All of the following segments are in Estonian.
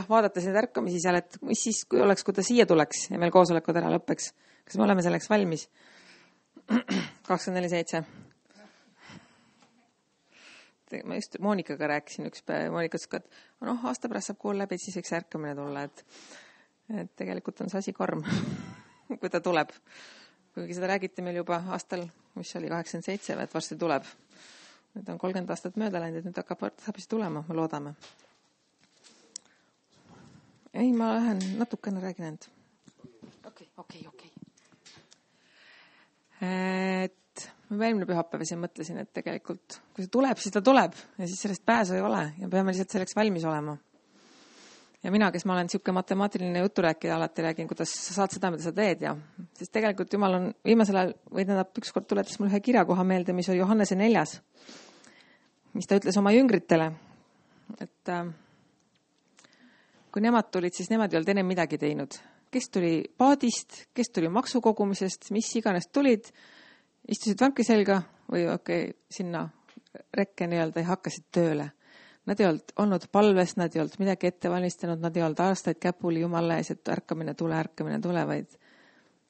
vaadates neid ärkamisi seal, et mis siis, kui ta siia tuleks ja meil koosolekud ära lõppeks. Kas me oleme selleks valmis? 24/7. Ma just Moonikaga rääkisin üks päev. Moonika ütles, et aasta pärast saab kool läbi, siis võiks ärkamine tulla. Et tegelikult on see asi karm, kui ta tuleb. Kuigi seda räägiti meil juba aastal, mis oli 87, et varsti tuleb. Nüüd on 30 aastat mööda läinud, et nüüd saab tulema, me loodame. Ei, ma lähen natukene räägin end. Okei. Et ma eelmine pühapäev siin mõtlesin, et tegelikult, kui see tuleb, siis ta tuleb ja siis sellest pääsu ei ole ja peame lihtsalt selleks valmis olema. Ja mina, kes ma olen siuke matemaatiline juturääkija, alati räägin, kuidas sa saad seda, mida sa teed ja sest tegelikult Jumal on viimasel ajal ükskord tuletas mul ühe kirjakoha meelde, mis oli Johannese 4, mis ta ütles oma jüngritele, et kui nemad tulid, siis nemad ei olnud enne midagi teinud. Kes tuli paadist, kes tuli maksukogumisest, mis iganes tulid, istusid vanki selga või sinna rekke nii-öelda ja hakkasid tööle. Nad ei olnud palves, nad ei olnud midagi ette valmistanud, nad ei olnud aastaid käpuli Jumala ees, et ärkamine tule, vaid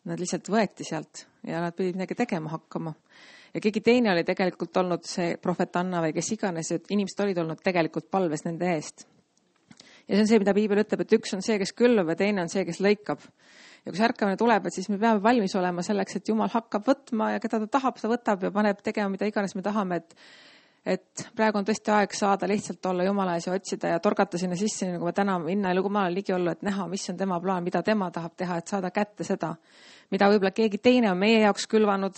nad lihtsalt võeti sealt ja nad pidid midagi tegema hakkama. Ja keegi teine oli tegelikult olnud see prohvet Anna või kes iganes, et inimesed olid olnud tegelikult palves nende eest. Ja see on see, mida Piibel ütleb, et üks on see, kes külvab ja teine on see, kes lõikab. Ja kui see ärkamine tuleb, et siis me peame valmis olema selleks, et Jumal hakkab võtma ja keda ta tahab, ta võtab ja paneb tegema, mida iganes me tahame, et praegu on tõesti aeg saada lihtsalt olla Jumala ees ja otsida ja torgata sinna sisse, nagu ma täna minna ja Jumala ligi olla, et näha, mis on tema plaan, mida tema tahab teha, et saada kätte seda, mida võib-olla keegi teine on meie jaoks külvanud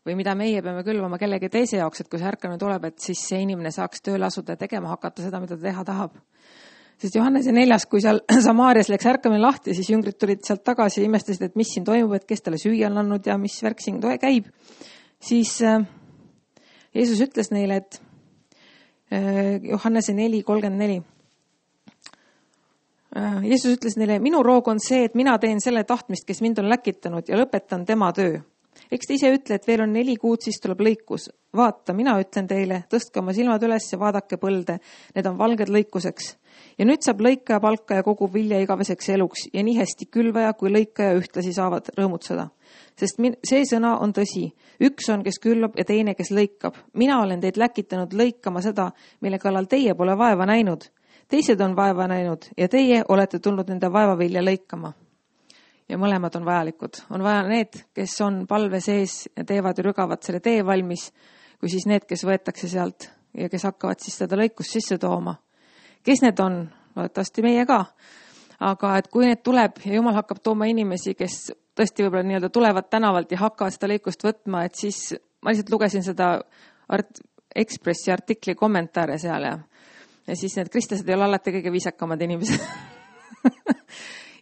või mida meie peame külvama kellegi teise jaoks, et kui see ärkamine tuleb, et siis see inimene saaks tööle asuda ja tegema hakata seda, mida ta teha tahab. Sest Johannese 4, kui seal Samaarias läks ärkamine lahti, siis jüngrid tulid sealt tagasi ja imestasid, et mis siin toimub, et kes talle süüa on andnud ja mis värk siin käib. Siis Jeesus ütles neile, et Johannese 4:34. Jeesus ütles neile, minu roog on see, et mina teen selle tahtmist, kes mind on läkitanud ja lõpetan tema töö. Eks te ise ütle, et veel on 4 kuud, siis tuleb lõikus. Vaata, mina ütlen teile, tõstke oma silmad üles ja vaadake põlde. Need on valged lõikuseks. Ja nüüd saab lõikaja palka ja kogub vilja igaveseks eluks ja nii hästi külvaja kui lõikaja ühtlasi saavad rõõmutseda. Sest see sõna on tõsi. Üks on, kes külvab ja teine, kes lõikab. Mina olen teid läkitanud lõikama seda, mille kallal teie pole vaeva näinud. Teised on vaeva näinud ja teie olete tulnud nende vaevavilja lõikama. Ja mõlemad on vajalikud. On vaja need, kes on palve sees ja teevad ja rügavad selle tee valmis, kui siis need, kes võetakse sealt ja kes hakkavad siis seda lõikust sisse tooma. Kes need on? Loodetavasti meie ka. Aga et kui need tuleb ja Jumal hakkab tooma inimesi, kes tõesti võib-olla nii-öelda tulevad tänavalt ja hakkavad seda lõikust võtma, et siis ma lihtsalt lugesin seda Ekspressi artikli kommentaare seal ja siis need kristlased ei ole alati kõige viisakamad inimesed.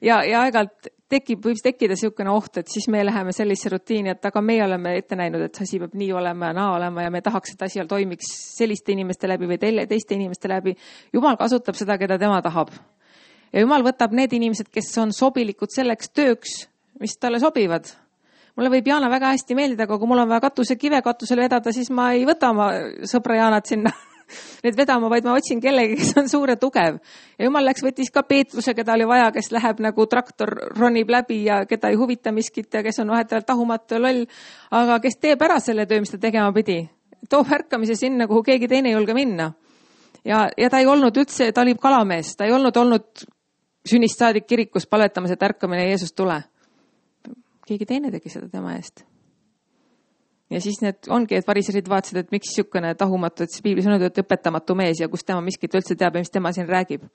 ja aegalt võib tekkida niisugune oht, et siis me läheme sellise rutiini, et aga meie oleme ette näinud, et asi peab nii olema ja naa olema ja me tahaks, et asi toimiks selliste inimeste läbi või teiste inimeste läbi. Jumal kasutab seda, keda tema tahab. Ja Jumal võtab need inimesed, kes on sobilikud selleks tööks, mis talle sobivad. Mulle võib Jaana väga hästi meeldida, aga kui mul on vaja kive katusele vedada, siis ma ei võta oma sõbra Jaanat sinna need vedama, vaid ma otsin kellegi, kes on suur ja tugev. Ja Jumal võttis ka Peetruse, keda oli vaja, kes läheb nagu traktor ronib läbi ja keda ei huvita miskit ja kes on vahetavalt tahumatu ja loll, aga kes teeb ära selle töö, mis ta tegema pidi. Toob ärkamise sinna, kuhu keegi teine ei julge minna. Ja ta ei olnud üldse, ta oli kalamees, ta ei olnud sünnist saadik kirikus palvetamas, et ärkamine Jeesus tule. Keegi teine tegi seda tema eest. Ja siis need ongi, et variserid vaatasid, et miks niisugune tahumatu, et Piiblis on öeldud, et õpetamatu mees ja kus tema miskit üldse teab ja mis tema siin räägib.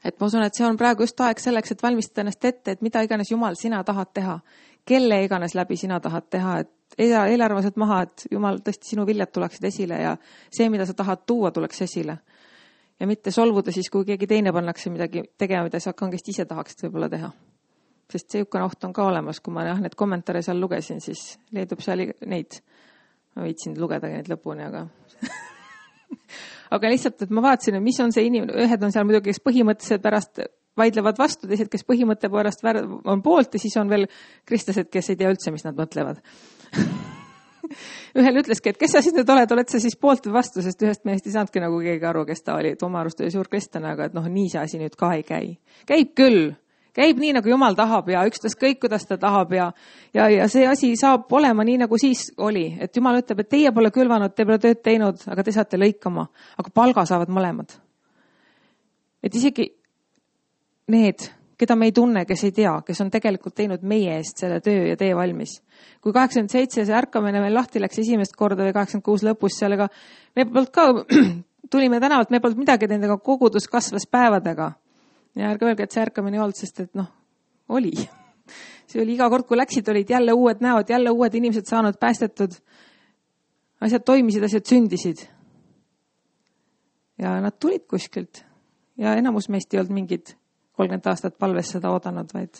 Et ma usun, et see on praegu just aeg selleks, et valmistada ennast ette, et mida iganes Jumal sina tahad teha. Kelle iganes läbi sina tahad teha, et eelarvaselt maha, et Jumal tõesti sinu viljad tuleksid esile ja see, mida sa tahad tuua, tuleks esile. Ja mitte solvuda siis, kui keegi teine pannakse midagi tegema, mida sa kangesti ise tahaksid võib-olla teha. Sest see jukane oht on ka olemas, kui ma need kommentaare seal lugesin, siis leidub seal neid. Ma viitsin lugeda neid lõpuni, aga lihtsalt, et ma vaatasin, et mis on see inimene. Ühed on seal muidugi, kes põhimõtteliselt pärast vaidlevad vastu, teised, kes põhimõtte pärast on poolt ja siis on veel kristlased, kes ei tea üldse, mis nad mõtlevad. ühel ütleski, et kes sa siis nüüd oled sa siis poolt või vastu, sest ühest mehest ei saanudki nagu keegi aru, kes ta oli, et oma arust oli suur kristlane, aga et nii see asi nüüd ka ei käi. Käib küll, käib nii, nagu Jumal tahab ja ükstaskõik, kuidas ta tahab ja see asi saab olema nii, nagu siis oli, et Jumal ütleb, et teie pole külvanud, te pole tööd teinud, aga te saate lõikama, aga palga saavad mõlemad. Et isegi need, keda me ei tunne, kes ei tea, kes on tegelikult teinud meie eest selle töö ja tee valmis. Kui 87 see ärkamine meil lahti läks esimest korda või 86 lõpus sellega, me polnud ka, tulime tänavalt, me polnud midagi teinud, aga kogudus kasvas päevadega. Ja ärge öelge, et see ärkamine ei olnud, sest et oli. See oli iga kord, kui läksid, olid jälle uued näod, jälle uued inimesed saanud päästetud. Asjad toimisid, asjad sündisid. Ja nad tulid kuskilt. Ja enamus meist ei olnud mingid 30 aastat palves seda oodanud, vaid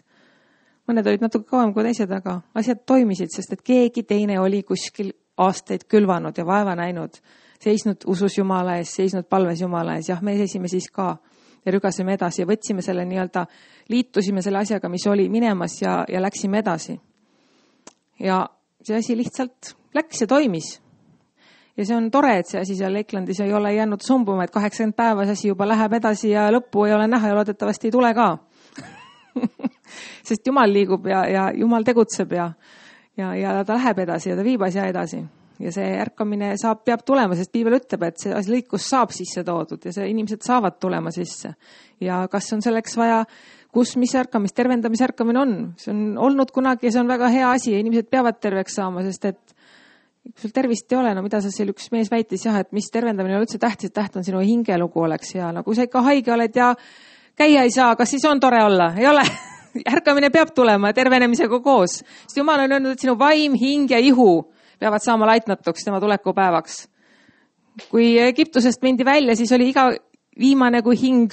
mõned olid natuke kauem kui teised, aga asjad toimisid, sest et keegi teine oli kuskil aastaid külvanud ja vaeva näinud, seisnud usus Jumala ees, seisnud palves Jumala ees. Jah, me seisime siis ka ja rügasime edasi ja võtsime selle liitusime selle asjaga, mis oli minemas ja läksime edasi. Ja see asi lihtsalt läks ja toimis. Ja see on tore, et see asi seal Lakelandis ei ole jäänud sumbuma, et 80 päeva see asi juba läheb edasi ja lõppu ei ole näha ja loodetavasti ei tule ka. Sest Jumal liigub ja Jumal tegutseb ja ta läheb edasi ja ta viib asja edasi. Ja see ärkamine peab tulema, sest Piibel ütleb, et see lõikus saab sisse toodud ja see inimesed saavad tulema sisse. Ja kas on selleks vaja, mis ärkamist, tervendamise ärkamine on? See on olnud kunagi ja see on väga hea asi ja inimesed peavad terveks saama, sest et kui sul tervist ei ole, mida sa seal üks mees väitis, et mis tervendamine on üldse tähtis, täht on sinu hingelugu oleks ja kui sa ikka haige oled ja käia ei saa, kas siis on tore olla? Ei ole. Ärkamine peab tulema tervenemisega koos. Sest Jumal on öelnud, et sinu vaim, hing ja ihu peavad saama laitnatuks tema tulekupäevaks. Kui Egiptusest mindi välja, siis oli iga viimane kui hing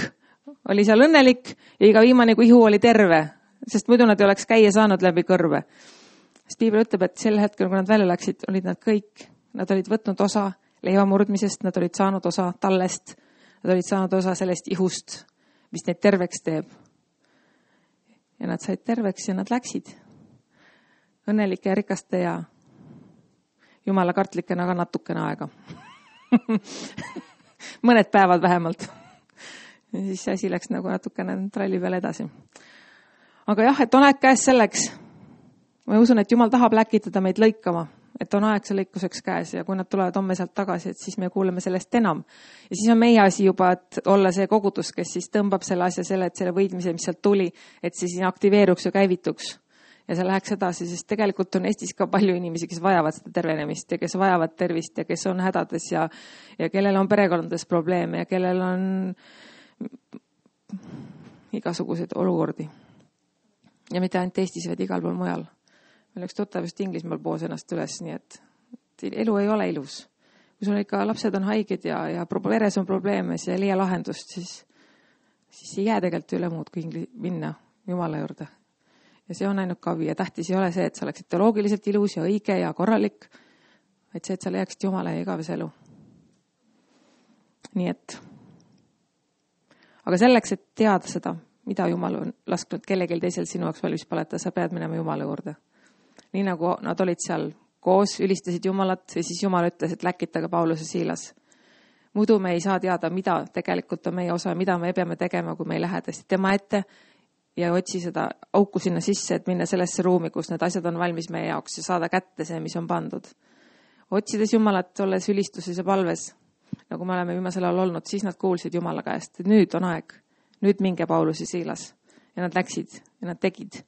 oli seal õnnelik ja iga viimane kui ihu oli terve, sest muidu nad ei oleks käia saanud läbi kõrve. Sest Piibel ütleb, et sel hetkel, kui nad välja läksid, olid nad kõik. Nad olid võtnud osa leiva murdmisest, nad olid saanud osa tallest, nad olid saanud osa sellest ihust, mis neid terveks teeb. Ja nad said terveks ja nad läksid. Õnnelike ja rikaste ja Jumala kartlikena ka natukene aega. Mõned päevad vähemalt. Ja siis see asi läks nagu natukene tralli peale edasi. Aga jah, et on aeg käes selleks. Ma usun, et Jumal tahab läkitada meid lõikama, et on aeg see lõikuseks käes ja kui nad tulevad homme sealt tagasi, et siis me kuuleme sellest enam. Ja siis on meie asi juba, et olla see kogudus, kes siis tõmbab selle asja et selle võidmise, mis sealt tuli, et siis aktiveeruks ja käivituks. Ja see läheks edasi, sest tegelikult on Eestis ka palju inimesi, kes vajavad seda tervenemist ja kes vajavad tervist ja kes on hädades ja kellel on perekondades probleeme ja kellel on igasuguseid olukordi. Ja mitte ainult Eestis, vaid igal pool mujal. Meil üks tuttav just Inglismaal poos ennast üles, nii et elu ei ole ilus. Kui sul ikka lapsed on haiged ja veres on probleeme, siis ei leia lahendust, siis ei jää tegelikult üle muud kui minna Jumala juurde. Ja see on ainult kavi ja tähtis ei ole see, et sa oleksid teoloogiliselt ilus ja õige ja korralik, vaid see, et sa leiaksid Jumala ja igavese elu. Nii et, aga selleks, et teada seda, mida Jumal on lasknud kellelgi teisel sinu jaoks valmis paleta, sa pead minema Jumala juurde. Nii nagu nad olid seal koos, ülistasid Jumalat ja siis Jumal ütles, et läkitage Paulus ja Siilas. Muidu me ei saa teada, mida tegelikult on meie osa, mida me peame tegema, kui me ei lähe tõesti tema ette ja otsi seda auku sinna sisse, et minna sellesse ruumi, kus need asjad on valmis meie jaoks ja saada kätte see, mis on pandud. Otsides Jumalat, olles ülistuses ja palves, nagu me oleme viimasel ajal olnud, siis nad kuulsid Jumala käest, et nüüd on aeg, nüüd minge Paulus ja Siilas. Ja nad läksid ja nad tegid.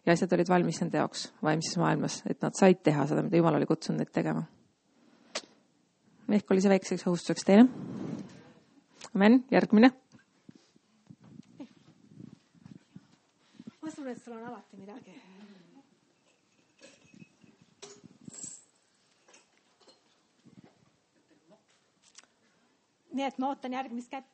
Ja asjad olid valmis nende jaoks vaimses maailmas, et nad said teha seda, mida Jumal oli kutsunud neid tegema. Ehk oli see väikseks õhustuseks teile. Amen, järgmine. Ma usun, et sul on alati midagi. Nii et ma ootan järgmist kätt.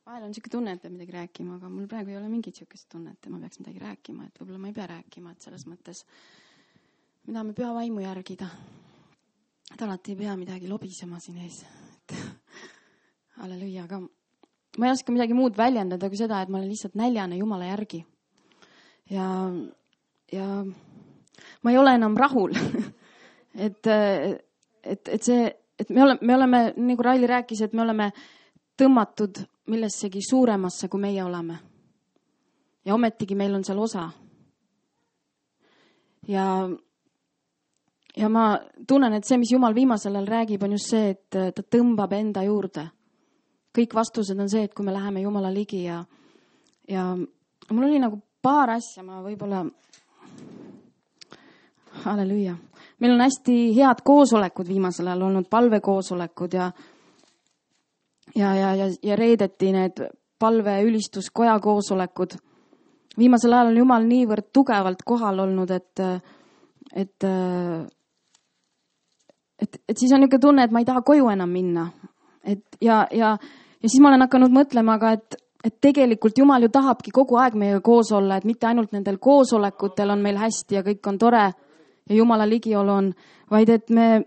Vahel on siuke tunne, et peab midagi rääkima, aga mul praegu ei ole mingit siukest tunnet, et ma peaks midagi rääkima, et võib-olla ma ei pea rääkima, et selles mõttes, mida me püha vaimu järgida. et alati ei pea midagi lobisema siin ees. Halleluuja, aga ma ei oska midagi muud väljendada kui seda, et ma olen lihtsalt näljane Jumala järgi. Ja ma ei ole enam rahul. et me oleme, nagu Raili rääkis, et me oleme tõmmatud millessegi suuremasse, kui meie oleme. Ja ometigi meil on seal osa. Ja ma tunnen, et see, mis Jumal viimasel ajal räägib, on just see, et ta tõmbab enda juurde. Kõik vastused on see, et kui me läheme Jumala ligi ja mul oli nagu paar asja, ma võib-olla, halleluuja. Meil on hästi head koosolekud viimasel ajal olnud, palvekoosolekud ja reedeti need palveülistuskoja koosolekud. Viimasel ajal on Jumal niivõrd tugevalt kohal olnud, et siis on niisugune tunne, et ma ei taha koju enam minna. Ja siis ma olen hakanud mõtlema ka, et tegelikult Jumal ju tahabki kogu aeg meiega koos olla, et mitte ainult nendel koosolekutel on meil hästi ja kõik on tore ja Jumala ligiolu on, vaid et me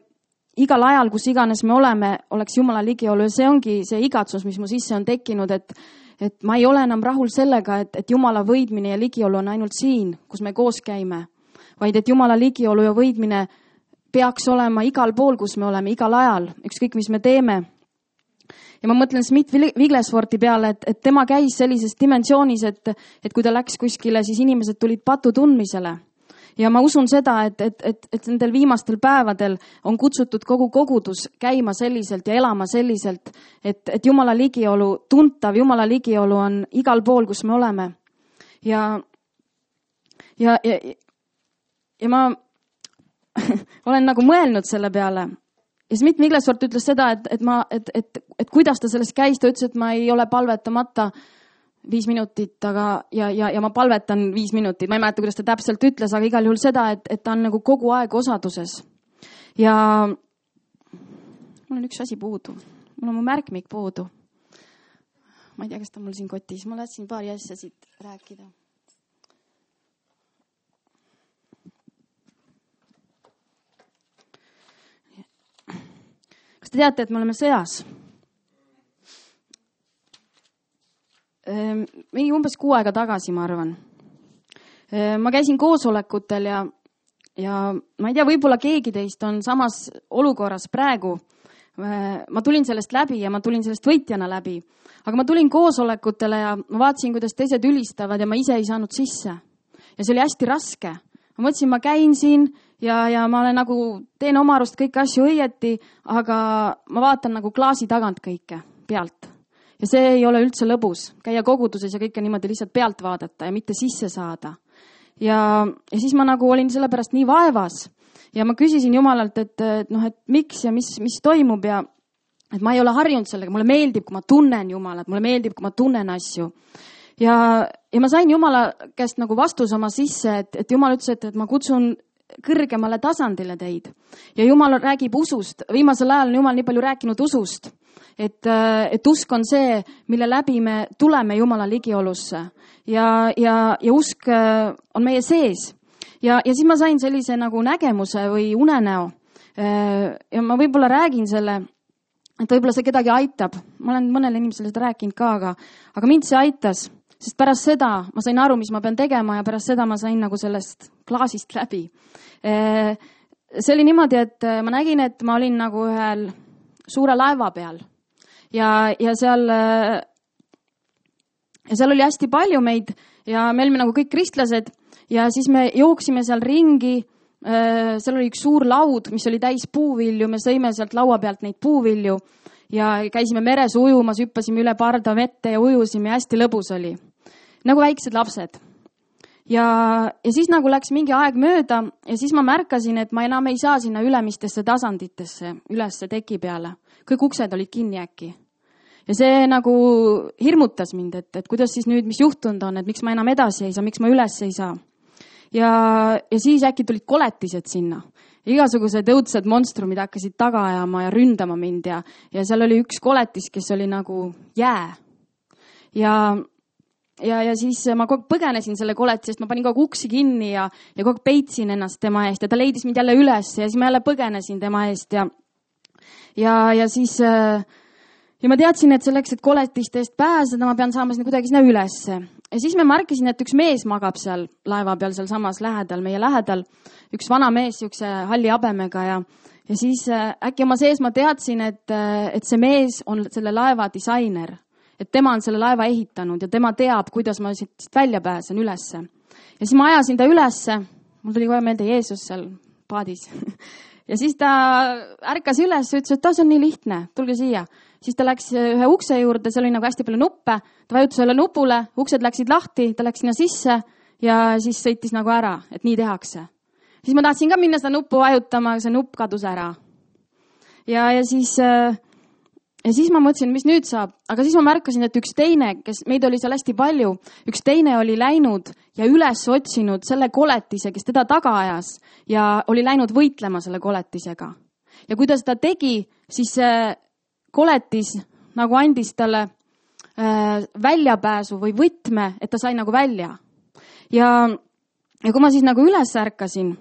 igal ajal, kus iganes me oleme, oleks Jumala ligiolu ja see ongi see igatsus, mis mu sisse on tekkinud, et ma ei ole enam rahul sellega, et Jumala võidmine ja ligiolu on ainult siin, kus me koos käime, vaid et Jumala ligiolu ja võidmine peaks olema igal pool, kus me oleme, igal ajal, ükskõik mis me teeme. Ja ma mõtlen Smith Wigglesworthi peale, et tema käis sellises dimensioonis, et kui ta läks kuskile, siis inimesed tulid patu tundmisele. Ja ma usun seda, et nendel viimastel päevadel on kutsutud kogu kogudus käima selliselt ja elama selliselt, et Jumala ligiolu, tuntav Jumala ligiolu on igal pool, kus me oleme. Ja ma olen nagu mõelnud selle peale. Ja Smith Wigglesworth ütles seda, et kuidas ta sellest käis, ta ütles, et ma ei ole palvetamata 5 minutit, ja ma palvetan 5 minutit. Ma ei mäleta, kuidas ta täpselt ütles, aga igal juhul seda, et ta on nagu kogu aeg osaduses. Ja mul on üks asi puudu. Mul on mu märkmik puudu. Ma ei tea, kas ta mul siin kotis. Ma lätsin paari asja siit rääkida. Kas te teate, et me oleme sõjas? Mingi umbes 6 aega tagasi, ma arvan. Ma käisin koosolekutel ja ma ei tea, võib-olla keegi teist on samas olukorras praegu. Ma tulin sellest läbi ja ma tulin sellest võitjana läbi. Aga ma tulin koosolekutele ja ma vaatasin, kuidas teised ülistavad ja ma ise ei saanud sisse. Ja see oli hästi raske. Ma mõtlesin, ma käin siin ja ma olen nagu, teen oma arust kõiki asju õieti, aga ma vaatan nagu klaasi tagant kõike pealt. Ja see ei ole üldse lõbus, käia koguduses ja kõike niimoodi lihtsalt pealt vaadata ja mitte sisse saada. Ja siis ma nagu olin selle pärast nii vaevas ja ma küsisin Jumalalt, et miks ja mis toimub ja et ma ei ole harjunud sellega, mulle meeldib, kui ma tunnen Jumalat, mulle meeldib, kui ma tunnen asju. Ja ma sain Jumala käest nagu vastus oma sisse, et Jumal ütles, et ma kutsun kõrgemale tasandile teid. Ja Jumal räägib usust. Viimasel ajal on Jumal nii palju rääkinud usust. Et usk on see, mille läbi me tuleme Jumala ligiolusse. Ja usk on meie sees. Ja siis ma sain sellise nagu nägemuse või unenäo. Ja ma võib-olla räägin selle, et võib-olla see kedagi aitab. Ma olen mõnele inimesele seda rääkinud ka, aga mind see aitas. Sest pärast seda ma sain aru, mis ma pean tegema ja pärast seda ma sain nagu sellest klaasist läbi. See oli niimoodi, et ma nägin, et ma olin nagu ühel suure laeva peal ja seal oli hästi palju meid ja me olime nagu kõik kristlased ja siis me jooksime seal ringi. Seal oli üks suur laud, mis oli täis puuvilju, me sõime sealt laua pealt neid puuvilju ja käisime meres ujumas, hüppasime üle parda vette ja ujusime ja hästi lõbus oli. Nagu väiksed lapsed. Ja siis nagu läks mingi aeg mööda ja siis ma märkasin, et ma enam ei saa sinna ülemistesse tasanditesse, ülesse teki peale. Kõik uksed olid kinni äkki. Ja see nagu hirmutas mind, et kuidas siis nüüd, mis juhtunud on, et miks ma enam edasi ei saa, miks ma üles ei saa. Ja siis äkki tulid koletised sinna. Igasugused õudsed monstrumid hakkasid taga ajama ja ründama mind ja seal oli üks koletis, kes oli nagu jää. Ja ja siis ma kogu aeg põgenesin selle koletisest, ma panin kogu aeg uksi kinni ja kogu aeg peitsin ennast tema eest ja ta leidis mind jälle üles ja siis ma jälle põgenesin tema eest ja siis ja ma teadsin, et selleks, et koletiste eest pääseda, ma pean saama sinna kuidagi sinna ülesse. Ja siis me märkisin, et üks mees magab seal laeva peal, seal samas lähedal, meie lähedal, üks vana mees, siukse halli habemega ja siis äkki oma sees ma teadsin, et see mees on selle laeva disainer, et tema on selle laeva ehitanud ja tema teab, kuidas ma siit välja pääsen ülesse. Ja siis ma ajasin ta ülesse, mul tuli kohe meelde Jeesus seal paadis ja siis ta ärkas üles ja ütles, et see on nii lihtne, tulge siia. Siis ta läks ühe ukse juurde, seal oli nagu hästi palju nuppe, ta vajutas selle nupule, uksed läksid lahti, ta läks sinna sisse ja siis sõitis nagu ära, et nii tehakse. Siis ma tahtsin ka minna seda nuppu vajutama, see nupp kadus ära. Ja siis ma mõtlesin, mis nüüd saab, aga siis ma märkasin, et üks teine, kes meid oli seal hästi palju, üks teine oli läinud ja üles otsinud selle koletise, kes teda taga ajas ja oli läinud võitlema selle koletisega. Ja kui ta seda tegi, siis koletis nagu andis talle väljapääsu või võtme, et ta sai nagu välja. Ja kui ma siis nagu üles ärkasin,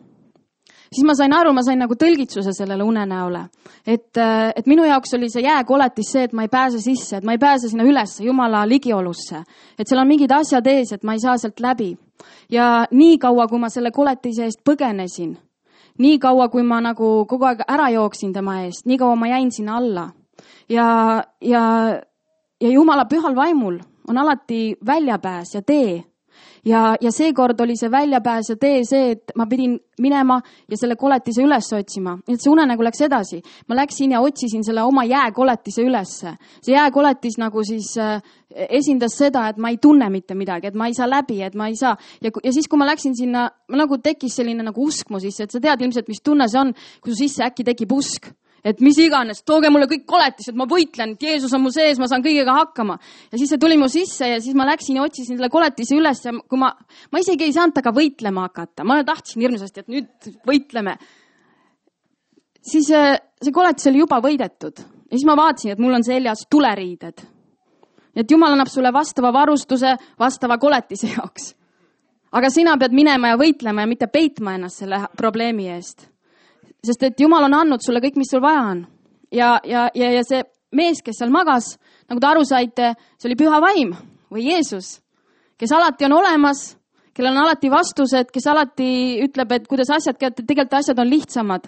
siis ma sain aru, ma sain nagu tõlgitsuse sellele unenäole. Et minu jaoks oli see jääkoletis see, et ma ei pääse sisse, et ma ei pääse sinna üles Jumala ligiolusse. Et seal on mingid asjad ees, et ma ei saa sealt läbi. Ja nii kaua, kui ma selle koletise eest põgenesin, nii kaua, kui ma nagu kogu aeg ära jooksin tema eest, nii kaua ma jäin sinna alla. Ja Jumala pühal vaimul on alati väljapääs ja tee. Ja seekord oli see väljapääs ja tee see, et ma pidin minema ja selle koletise üles otsima. Et see unenägu läks edasi. Ma läksin ja otsisin selle oma jääkoletise ülesse. See jääkoletis nagu siis esindas seda, et ma ei tunne mitte midagi, et ma ei saa läbi, et ma ei saa. Ja siis, kui ma läksin sinna, nagu tekkis selline nagu usk mu sisse, et sa tead ilmselt, mis tunne see on, kui su sisse äkki tekib usk. Et mis iganes, tooge mulle kõik koletised, ma võitlen, et Jeesus on mu sees, ma saan kõigega hakkama. Ja siis see tuli mu sisse ja siis ma läksin ja otsisin selle koletise üles ja kui ma isegi ei saanud taga võitlema hakata. Ma tahtsin hirmsasti, et nüüd võitleme. Siis see koletis oli juba võidetud. Ja siis ma vaatasin, et mul on seljas tuleriided. Et Jumal annab sulle vastava varustuse, vastava koletise jaoks. Aga sina pead minema ja võitlema ja mitte peitma ennast selle probleemi eest. Sest et Jumal on andnud sulle kõik, mis sul vaja on. Ja see mees, kes seal magas, nagu te aru saite, see oli püha vaim või Jeesus, kes alati on olemas, kellel on alati vastused, kes alati ütleb, et kuidas asjad käivad, tegelikult asjad on lihtsamad.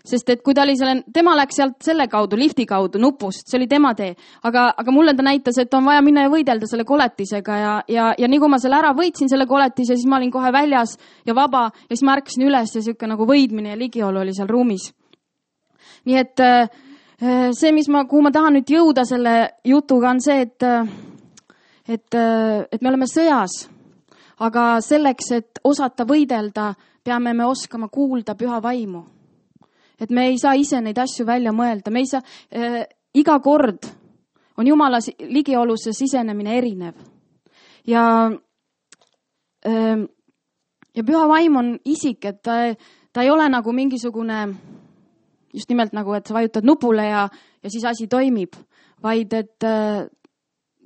Sest et kui tema läks sealt selle kaudu, lifti kaudu, nupust, see oli tema tee. Aga mulle ta näitas, et on vaja minna ja võidelda selle koletisega ja nii kui ma selle ära võitsin selle koletise, siis ma olin kohe väljas ja vaba ja siis ma ärkasin üles ja siuke nagu võidmine ja ligiolu oli seal ruumis. Nii et see, kuhu ma tahan nüüd jõuda selle jutuga on see, et me oleme sõjas, aga selleks, et osata võidelda, peame me oskama kuulda püha vaimu. Et me ei saa ise neid asju välja mõelda. Me ei saa, iga kord on Jumala ligiolusse sisenemine erinev. Ja püha vaim on isik, et ta ei ole nagu mingisugune, just nimelt nagu, et sa vajutad nupule ja siis asi toimib, vaid et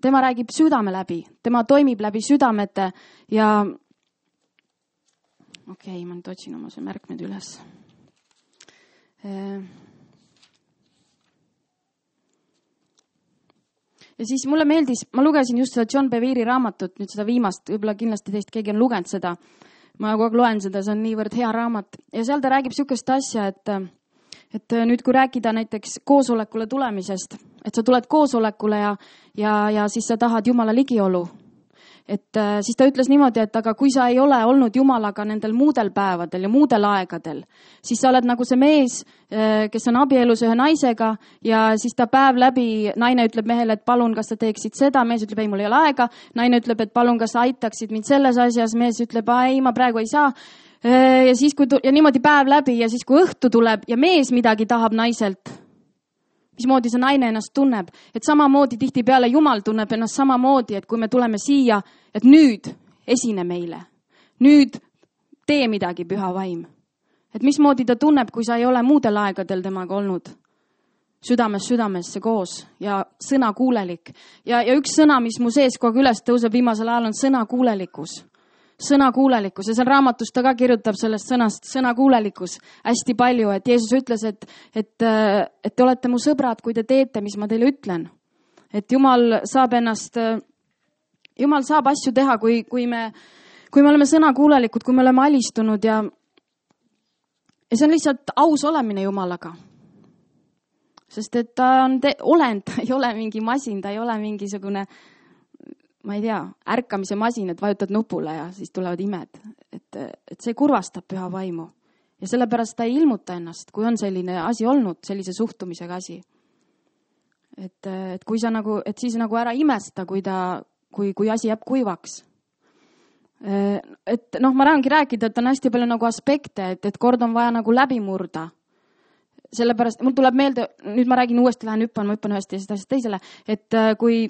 tema räägib südame läbi. Tema toimib läbi südamete ja okei, ma nüüd otsin oma see märkmed üles. Ja siis mulle meeldis, ma lugesin just seda John Bevere raamatut, nüüd seda viimast, võib-olla kindlasti teist keegi on lugenud seda. Ma kogu aeg loen seda, see on niivõrd hea raamat. Ja seal ta räägib sükest asja, et nüüd kui rääkida näiteks koosolekule tulemisest, et sa tuled koosolekule ja siis sa tahad Jumala ligiolu. Et siis ta ütles niimoodi, et aga kui sa ei ole olnud Jumalaga nendel muudel päevadel ja muudel aegadel, siis sa oled nagu see mees, kes on abielus ühe naisega ja siis ta päev läbi, naine ütleb mehele, et palun, kas sa teeksid seda, mees ütleb, ei, mul ei ole aega, naine ütleb, et palun, kas sa aitaksid mind selles asjas, mees ütleb, ei, ma praegu ei saa. Ja siis ja niimoodi päev läbi ja siis kui õhtu tuleb ja mees midagi tahab naiselt, mismoodi see naine ennast tunneb, et samamoodi tihtipeale Jumal tunneb ennast samamoodi, et kui me tuleme siia, et nüüd esine meile, nüüd tee midagi püha vaim. Et mismoodi ta tunneb, kui sa ei ole muudel aegadel temaga olnud. südamest südamesse koos ja sõnakuulelik. Ja üks sõna, mis mu sees kogu aeg üles tõuseb viimasel ajal, on sõnakuulelikkus. Sõnakuulelikkus ja seal raamatus ta ka kirjutab sellest sõnast sõnakuulelikkus hästi palju, et Jeesus ütles, et te olete mu sõbrad, kui te teete, mis ma teile ütlen. Et Jumal saab asju teha, kui me oleme sõnakuulelikud, kui me oleme alistunud ja see on lihtsalt aus olemine Jumalaga. Sest et ta on olend, ta ei ole mingi masin, ta ei ole mingisugune, ma ei tea, ärkamise masin, et vajutad nupule ja siis tulevad imed. Et see kurvastab püha vaimu. Ja sellepärast ta ei ilmuta ennast, kui on selline asi olnud, sellise suhtumisega asi. Et kui sa nagu, et siis nagu ära imesta, kui asi jääb kuivaks. Et ma tahangi rääkida, et on hästi palju nagu aspekte, et kord on vaja nagu läbi murda. Sellepärast, mul tuleb meelde, nüüd ma räägin uuesti, ma hüppan ühest asjast teisele, et kui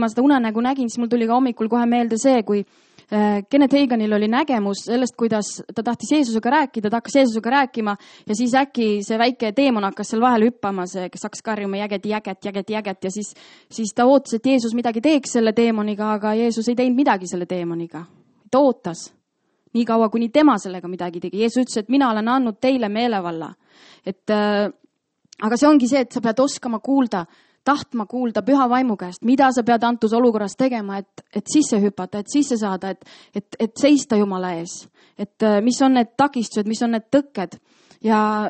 ma seda unenägu nägin, siis mul tuli ka hommikul kohe meelde see, kui Kenneth Haganil oli nägemus sellest, kuidas ta tahtis Jeesusega rääkida, ta hakkas Jeesusega rääkima ja siis äkki see väike teemon hakkas seal vahel hüppama, see, kes hakkas karjuma jäget ja siis ta ootas, et Jeesus midagi teeks selle teemoniga, aga Jeesus ei teinud midagi selle teemoniga. Ta ootas nii kaua, kuni tema sellega midagi tegi. Jeesus ütles, et mina olen andnud teile meelevalla. Aga see ongi see, et sa pead oskama kuulda, tahtma kuulda püha vaimu käest, mida sa pead antud olukorras tegema, et sisse hüpata, et sisse saada, et seista Jumala ees. Et mis on need takistused, mis on need tõkked. Ja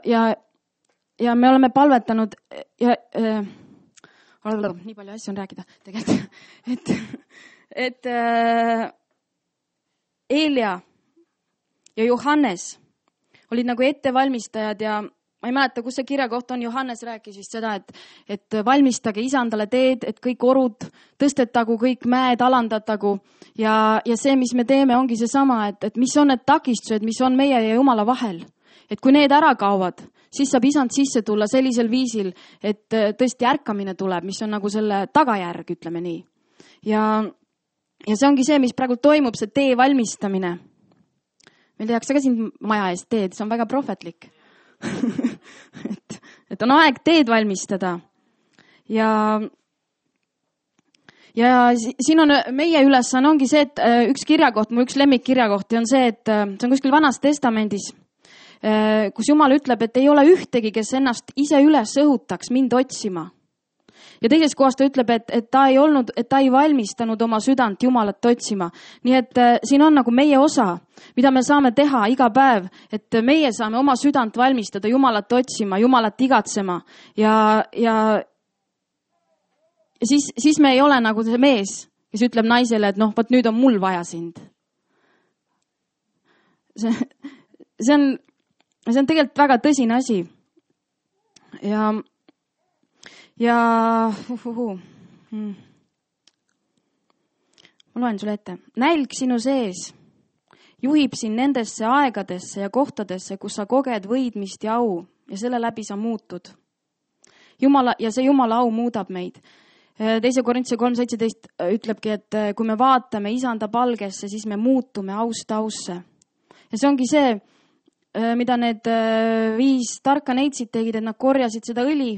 me oleme palvetanud ja nii palju asju on rääkida tegelikult. Et Eelia ja Johannes olid nagu ettevalmistajad ja ma ei mäleta, kus see kirja koht on, Johannes rääkis vist seda, et valmistage isandale teed, et kõik orud tõstetagu, kõik mäed alandatagu ja see, mis me teeme, ongi see sama, et mis on need takistused, mis on meie ja Jumala vahel. Et kui need ära kaovad, siis saab isand sisse tulla sellisel viisil, et tõesti ärkamine tuleb, mis on nagu selle tagajärg, ütleme nii. Ja see ongi see, mis praegu toimub, see tee valmistamine. Meil tehakse ka siin maja eest teed, see on väga prohvetlik. et on aeg teed valmistada. Ja siin on meie ülesanne ongi see, et üks kirjakoht, mu üks lemmikkirjakohti on see, et see on kuskil Vanas Testamendis, kus Jumal ütleb, et ei ole ühtegi, kes ennast ise üles õhutaks mind otsima. Ja teises kohas ta ütleb, et ta ei valmistanud oma südant Jumalat otsima. Nii et siin on nagu meie osa, mida me saame teha iga päev, et meie saame oma südant valmistada Jumalat otsima, Jumalat igatsema. Ja siis me ei ole nagu see mees, kes ütleb naisele, et võt nüüd on mul vaja sind. See on tegelikult väga tõsine asi. Ma loen sulle ette. Nälg sinu sees juhib sind nendesse aegadesse ja kohtadesse, kus sa koged võidmist ja au ja selle läbi sa muutud. Ja see Jumala au muudab meid. 2. Korintuse 3.17 ütlebki, et kui me vaatame isanda palgesse, siis me muutume aust ausse. Ja see ongi see, mida need 5 tarka neitsid tegid, et nad korjasid seda õli.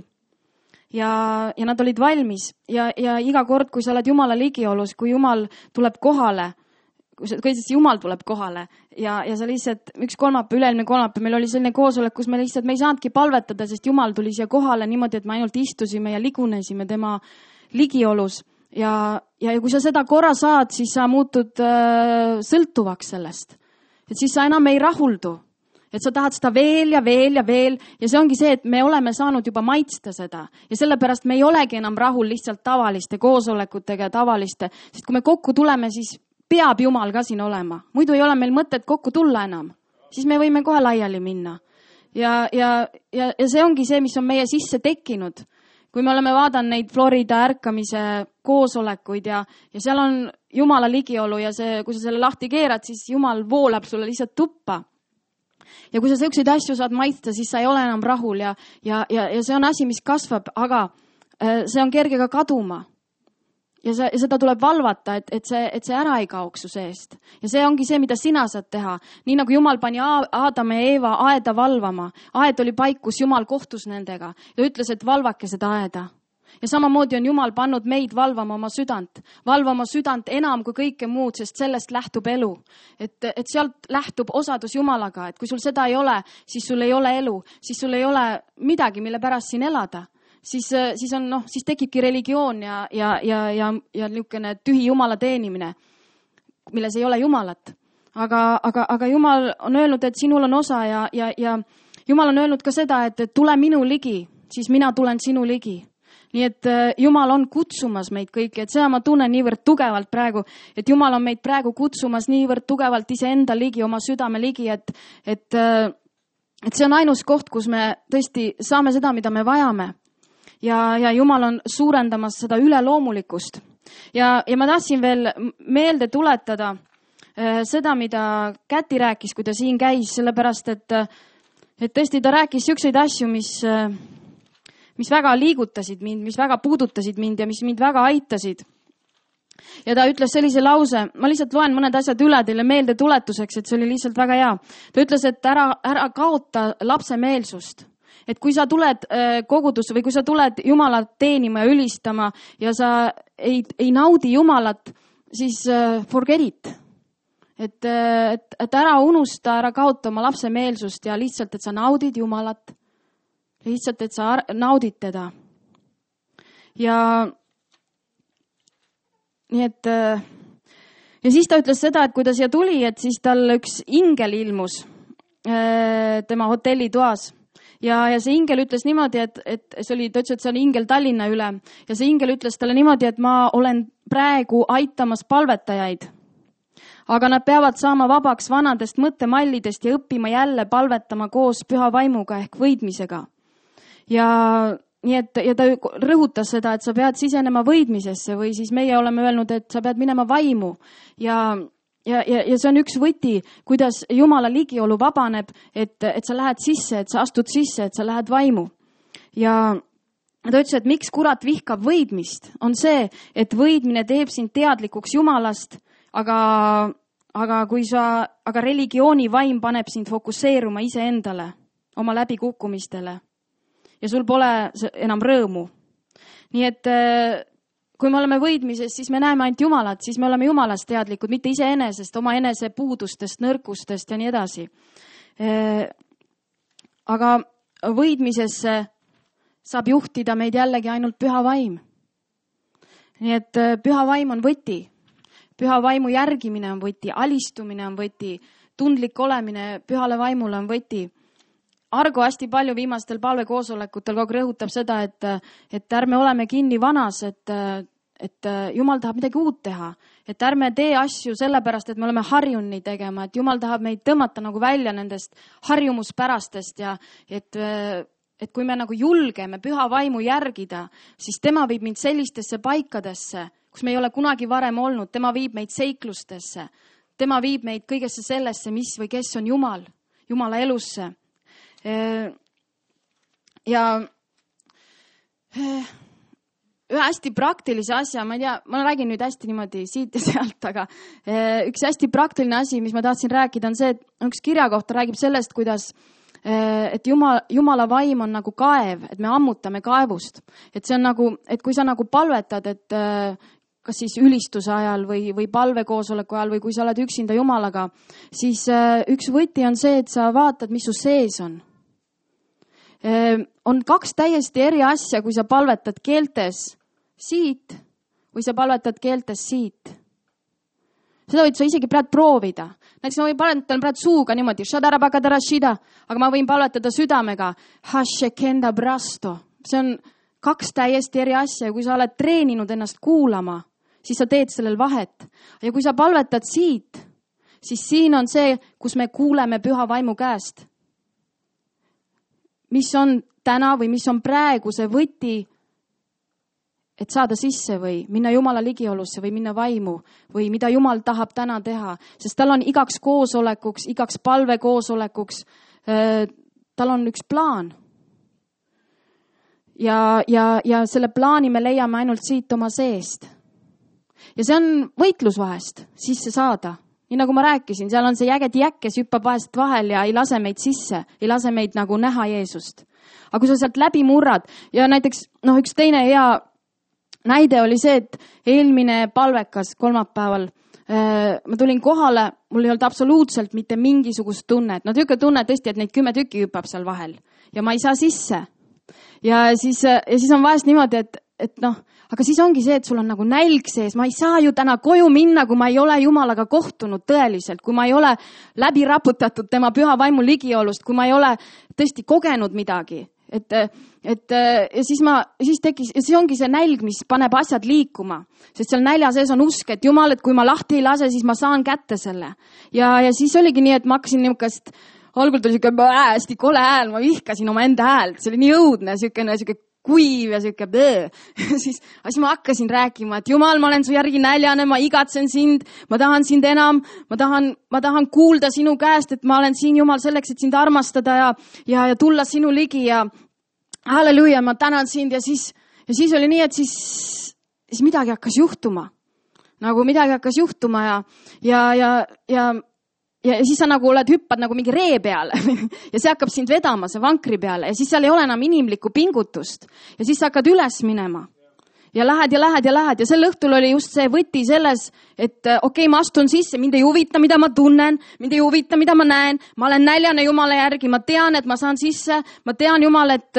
Ja nad olid valmis ja iga kord, kui sa oled Jumala ligiolus, kui Jumal tuleb kohale, Jumal tuleb kohale ja sa lihtsalt üks üle-eelmine kolmapäev meil oli selline koosolek, kus me ei saanudki palvetada, sest Jumal tuli siia kohale niimoodi, et me ainult istusime ja ligunesime tema ligiolus ja kui sa seda korra saad, siis sa muutud sõltuvaks sellest, et siis sa enam ei rahuldu. Et sa tahad seda veel ja see ongi see, et me oleme saanud juba maitsta seda ja sellepärast me ei olegi enam rahul lihtsalt tavaliste koosolekutega ja tavaliste, sest kui me kokku tuleme, siis peab Jumal ka siin olema. Muidu ei ole meil mõtet kokku tulla enam, siis me võime kohe laiali minna. Ja see ongi see, mis on meie sisse tekkinud. Kui me oleme vaadanud neid Florida ärkamise koosolekuid ja seal on Jumala ligiolu ja kui sa selle lahti keerad, siis Jumal voolab sulle lihtsalt tuppa. Ja kui sa selliseid asju saad maitsta, siis sa ei ole enam rahul ja see on asi, mis kasvab, aga see on kerge ka kaduma. ja seda tuleb valvata, et see ära ei kaoks su seest. Ja see ongi see, mida sina saad teha. Nii nagu Jumal pani Aadam ja Eeva aeda valvama. Aed oli paik, kus Jumal kohtus nendega. Ja ütles, et valvake seda aeda. Ja samamoodi on Jumal pannud meid valvama oma südant. Valvama südant enam kui kõike muud, sest sellest lähtub elu. Et sealt lähtub osadus Jumalaga. Et kui sul seda ei ole, siis sul ei ole elu. Siis sul ei ole midagi, mille pärast siin elada. Siis tekibki religioon ja niisugune tühi Jumala teenimine, milles ei ole Jumalat. Aga Jumal on öelnud, et sinul on osa ja Jumal on öelnud ka seda, et tule minu ligi, siis mina tulen sinu ligi. Nii et Jumal on kutsumas meid kõiki, et seda ma tunnen niivõrd tugevalt praegu, et Jumal on meid praegu kutsumas niivõrd tugevalt iseenda ligi, oma südame ligi, et see on ainus koht, kus me tõesti saame seda, mida me vajame. Ja Jumal on suurendamas seda üleloomulikust. Ja ma tahtsin veel meelde tuletada seda, mida Käti rääkis, kui ta siin käis, sellepärast, et tõesti ta rääkis selliseid asju, mis väga liigutasid mind, mis väga puudutasid mind ja mis mind väga aitasid. Ja ta ütles sellise lause, ma lihtsalt loen mõned asjad üle teile meelde tuletuseks, et see oli lihtsalt väga hea. Ta ütles, et ära kaota lapsemeelsust. Et kui sa tuled kogudusse või kui sa tuled Jumalat teenima ja ülistama ja sa ei naudi Jumalat, siis forget it. Et ära unusta, ära kaota oma lapsemeelsust ja lihtsalt, et sa naudid Jumalat. Lihtsalt, et sa naudid teda. Ja nii et ja siis ta ütles seda, et kui ta siia tuli, et siis tal üks ingel ilmus tema hotellitoas. Ja see ingel ütles niimoodi, et ta ütles, et see on ingel Tallinna üle. Ja see ingel ütles talle niimoodi, et ma olen praegu aitamas palvetajaid. Aga nad peavad saama vabaks vanadest mõttemallidest ja õppima jälle palvetama koos püha vaimuga ehk võidmisega. Ja ta rõhutas seda, et sa pead sisenema võidmisesse või siis meie oleme öelnud, et sa pead minema vaimu. Ja see on üks võti, kuidas Jumala ligiolu vabaneb, et sa lähed sisse, et sa astud sisse, et sa lähed vaimu. Ja ta ütles, et miks kurat vihkab võidmist, on see, et võidmine teeb sind teadlikuks Jumalast, aga religiooni vaim paneb sind fokusseeruma iseendale, oma läbikukkumistele. Ja sul pole enam rõõmu. Nii et kui me oleme võidmises, siis me näeme ainult Jumalat, siis me oleme Jumalast teadlikud, mitte iseenesest, oma enese puudustest, nõrkustest ja nii edasi. Aga võidmisesse saab juhtida meid jällegi ainult püha vaim. Nii et püha vaim on võti. Püha vaimu järgimine on võti, alistumine on võti, tundlik olemine pühale vaimule on võti. Argo hästi palju viimastel palvekoosolekutel kogu rõhutab seda, et ärme oleme kinni vanas, et Jumal tahab midagi uut teha. Et ärme tee asju sellepärast, et me oleme harjunud nii tegema, et Jumal tahab meid tõmmata nagu välja nendest harjumuspärastest ja et kui me nagu julgeme püha vaimu järgida, siis tema viib mind sellistesse paikadesse, kus me ei ole kunagi varem olnud. Tema viib meid seiklustesse. Tema viib meid kõigesse sellesse, mis või kes on Jumal, Jumala elusse. Ja ühe hästi praktilise asja, ma ei tea, ma räägin nüüd hästi niimoodi siit ja sealt, aga üks hästi praktiline asi, mis ma tahtsin rääkida, on see, et üks kirja kohta räägib sellest, kuidas et Jumala vaim on nagu kaev, et me ammutame kaevust. Et see on nagu, et kui sa nagu palvetad, et kas siis ülistuse ajal või palvekoosoleku ajal või kui sa oled üksinda Jumalaga, siis üks võti on see, et sa vaatad, mis su sees on. On kaks täiesti eri asja, kui sa palvetad keeltes siit või sa palvetad keeltes siit. Seda võid sa isegi praegu proovida. Näiteks ma võin palvetada praegu suuga niimoodi, aga ma võin palvetada südamega. See on kaks täiesti eri asja ja kui sa oled treeninud ennast kuulama, siis sa teed sellel vahet. Ja kui sa palvetad siit, siis siin on see, kus me kuuleme püha vaimu käest. Mis on täna või mis on praegu see võti, et saada sisse või minna Jumala ligiolusse või minna vaimu või mida Jumal tahab täna teha. Sest tal on igaks koosolekuks, igaks palvekoosolekuks, tal on üks plaan. Ja selle plaani me leiame ainult siit oma seest. ja see on võitlus vahest sisse saada. Nii nagu ma rääkisin, seal on see jägedi jäkk, kes hüppab vahest vahel ja ei lase meid sisse, ei lase meid nagu näha Jeesust. Aga kui sa sealt läbi murrad ja näiteks üks teine hea näide oli see, et eelmine palvekas kolmapäeval ma tulin kohale, mul ei olnud absoluutselt mitte mingisugust tunnet. Tüüke tunne tõesti, et neid 10 tükki hüppab seal vahel ja ma ei saa sisse. Ja siis on vahest niimoodi, et aga siis ongi see, et sul on nagu nälg sees. Ma ei saa ju täna koju minna, kui ma ei ole Jumalaga kohtunud tõeliselt, kui ma ei ole läbi raputatud tema püha vaimu ligiolust, kui ma ei ole tõesti kogenud midagi. Ja siis tekkis, ja see ongi see nälg, mis paneb asjad liikuma. Sest seal nälja sees on usk, et Jumal, et kui ma lahti ei lase, siis ma saan kätte selle. Ja siis oligi nii, et ma hakkasin niisugust, algul tuli siuke hästi kole hääl, ma vihkasin oma enda häält. See oli nii õudne, siuke kuiv ja siuke siis ma hakkasin rääkima, et Jumal, ma olen su järgi näljane, ma igatsen sind, ma tahan sind enam, ma tahan kuulda sinu käest, et ma olen siin, Jumal, selleks, et sind armastada ja tulla sinu ligi ja halleluuja, ma tänan sind ja siis oli nii, et siis midagi hakkas juhtuma. Nagu midagi hakkas juhtuma ja siis sa nagu hüppad nagu mingi ree peale ja see hakkab sind vedama, see vankri peale ja siis seal ei ole enam inimlikku pingutust ja siis sa hakkad üles minema ja lähed ja sel õhtul oli just see võti selles, et okei, ma astun sisse, mind ei huvita, mida ma tunnen, mind ei huvita, mida ma näen, ma olen näljane Jumala järgi, ma tean, et ma saan sisse, ma tean, Jumal, et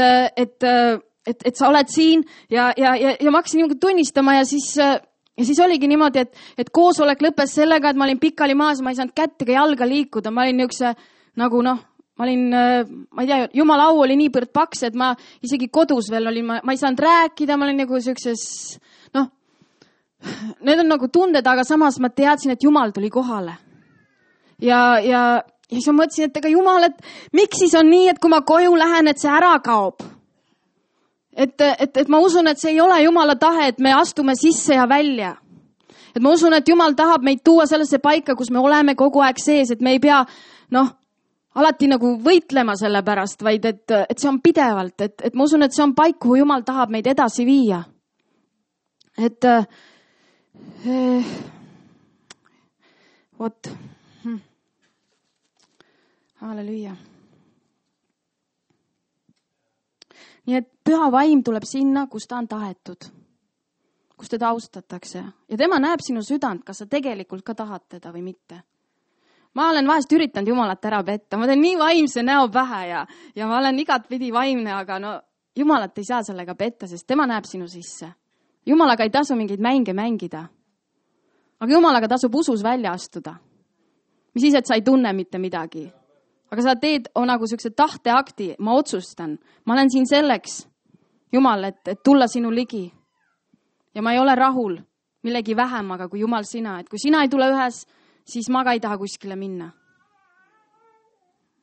sa oled siin ja ma hakkasin niimoodi tunnistama ja siis oligi niimoodi, et koosolek lõppes sellega, et ma olin pikali maas, ma ei saanud kätt ega jalga liikuda. Ma olin niisuguse nagu ma ei tea, Jumala au oli nii põrd paks, et ma isegi kodus veel olin, ma ei saanud rääkida, ma olin nagu siukses, need on nagu tunded, aga samas ma teadsin, et Jumal tuli kohale. Ja siis ma mõtlesin, et ega Jumal, et miks siis on nii, et kui ma koju lähen, et see ära kaob? Et ma usun, et see ei ole Jumala tahe, et me astume sisse ja välja. Et ma usun, et Jumal tahab meid tuua sellesse paika, kus me oleme kogu aeg sees, et me ei pea, alati nagu võitlema selle pärast, vaid et see on pidevalt, et ma usun, et see on paik, kuhu Jumal tahab meid edasi viia. Halleluuja. Nii et püha vaim tuleb sinna, kus ta on tahetud, kus teda austatakse. Ja tema näeb sinu südant, kas sa tegelikult ka tahad teda või mitte. Ma olen vahest üritanud Jumalat ära petta. Ma teen nii vaimse näo pähe ja ma olen igatpidi vaimne, aga Jumalat ei saa sellega petta, sest tema näeb sinu sisse. Jumalaga ei tasu mingeid mänge mängida. Aga Jumalaga tasub usus välja astuda. Mis siis, et sa ei tunne mitte midagi. Aga sa teed nagu siukse tahteakti, ma otsustan. Ma olen siin selleks, Jumal, et tulla sinu ligi. Ja ma ei ole rahul millegi vähemaga kui Jumal sina. Et kui sina ei tule ühes, siis ma ka ei taha kuskile minna.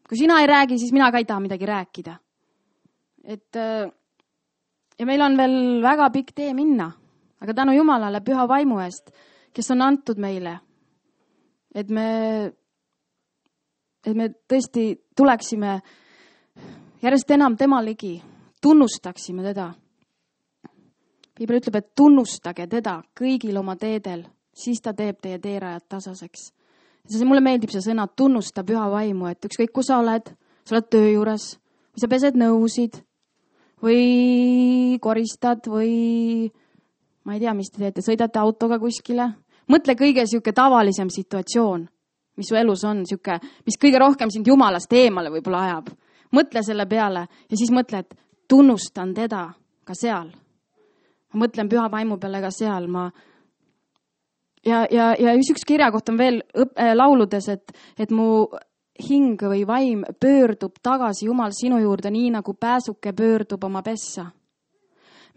Kui sina ei räägi, siis mina ka ei taha midagi rääkida. Ja meil on veel väga pikk tee minna. Aga tänu Jumalale püha vaimu eest, kes on antud meile, et me tõesti tuleksime järjest enam tema ligi, tunnustaksime teda. Piibel ütleb, et tunnustage teda kõigil oma teedel, siis ta teeb teie teerajad tasaseks. Mulle meeldib see sõna, tunnusta püha vaimu, et ükskõik kus sa oled töö juures, või sa pesed nõusid, või koristad, või ma ei tea, mis te teete, sõidate autoga kuskile. Mõtle kõige siuke tavalisem situatsioon, mis su elus on, siuke, mis kõige rohkem sind Jumalast eemale võib-olla ajab. Mõtle selle peale ja siis mõtle, et tunnustan teda ka seal. Ma mõtlen püha vaimu peale ka seal. Ja üks kirja koht on veel lauludes, et mu hing või vaim pöördub tagasi Jumal sinu juurde, nii nagu pääsuke pöördub oma pessa.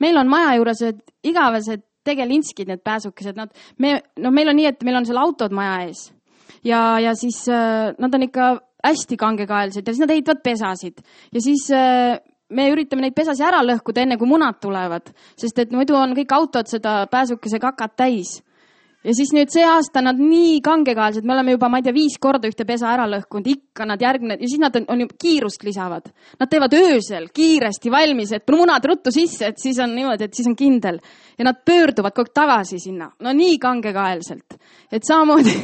Meil on maja juures igavesed tegelinskid, need pääsukesed. Meil on nii, et meil on seal autod maja ees. Ja siis nad on ikka hästi kangekaelsed ja siis nad ehitavad pesasid. Ja siis me üritame neid pesasi ära lõhkuda enne, kui munad tulevad. Sest et muidu on kõik autod seda pääsukese kakat täis. Ja siis nüüd see aasta nad nii kangekaelsed, me oleme juba, ma ei tea, 5 korda ühte pesa ära lõhkunud, ikka nad järgmine, ja siis nad on juba kiirust lisavad. Nad teevad öösel kiiresti valmis, et munad ruttu sisse, et siis on niimoodi, et siis on kindel. Ja nad pöörduvad kogu tagasi sinna, no nii kangekaelselt. Et samamoodi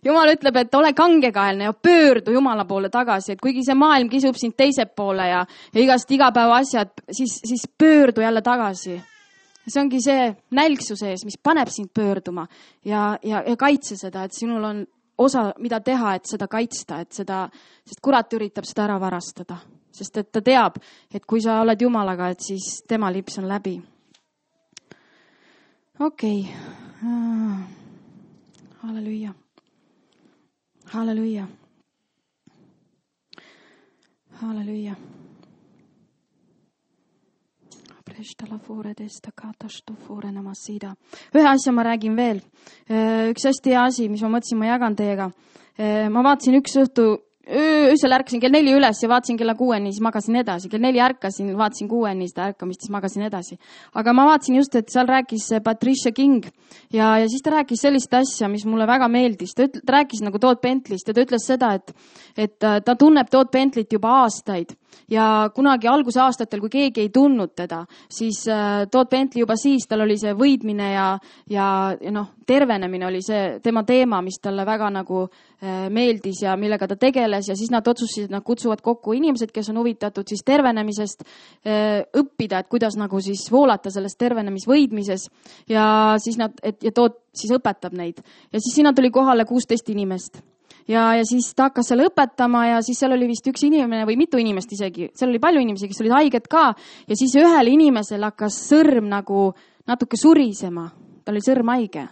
Jumal ütleb, et ole kangekaelne ja pöördu Jumala poole tagasi, et kuigi see maailm kisub sind teise poole ja igast igapäeva asjad, siis pöördu jälle tagasi. See ongi see nälgsu sees, mis paneb sind pöörduma ja kaitse seda, et sinul on osa, mida teha, et seda kaitsta, et seda, sest kurat üritab seda ära varastada. Sest et ta teab, et kui sa oled Jumalaga, et siis tema lips on läbi. Okei. Halleluja. Halleluja. Halleluja. Ühe asja ma räägin veel. Üks hästi hea asi, mis ma mõtlesin, ma jagan teiega. Ma vaatasin üks õhtu, öösel ärkasin kell 4 üles ja vaatasin kella 6-ni, siis magasin edasi. Kell 4 ärkasin, vaatasin 6-ni seda ärkamist, siis magasin edasi. Aga ma vaatasin just, et seal rääkis Patricia King ja siis ta rääkis sellist asja, mis mulle väga meeldis. Ta rääkis nagu Todd Bentley'st ja ta ütles seda, et ta tunneb Todd Bentley't juba aastaid. Ja kunagi algusaastatel, kui keegi ei tundnud teda, siis Todd Bentley juba siis, tal oli see võidmine ja tervenemine oli see tema teema, mis talle väga nagu meeldis ja millega ta tegeles ja siis nad otsustasid, et nad kutsuvad kokku inimesed, kes on huvitatud siis tervenemisest, õppida, et kuidas nagu siis voolata selles tervenemisvõidmises ja siis ja Todd siis õpetab neid. Ja siis sinna tuli kohale 16 inimest. Ja siis ta hakkas seal õpetama ja siis seal oli vist üks inimene või mitu inimest isegi. Seal oli palju inimesi, kes olid haiged ka ja siis ühel inimesel hakkas sõrm nagu natuke surisema. Ta oli sõrm haige.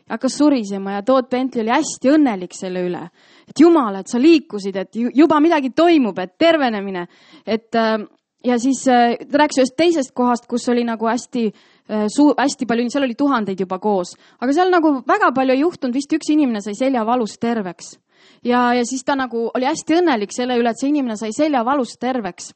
Hakkas surisema ja Todd Bentley oli hästi õnnelik selle üle. Et Jumal, et sa liikusid, et juba midagi toimub, et tervenemine. Ja siis ta rääkis ühest teisest kohast, kus oli nagu hästi palju, seal oli tuhandeid juba koos. Aga seal nagu väga palju ei juhtunud, vist üks inimene sai seljavalust terveks. Ja siis ta nagu oli hästi õnnelik selle üle, et see inimene sai seljavalust terveks.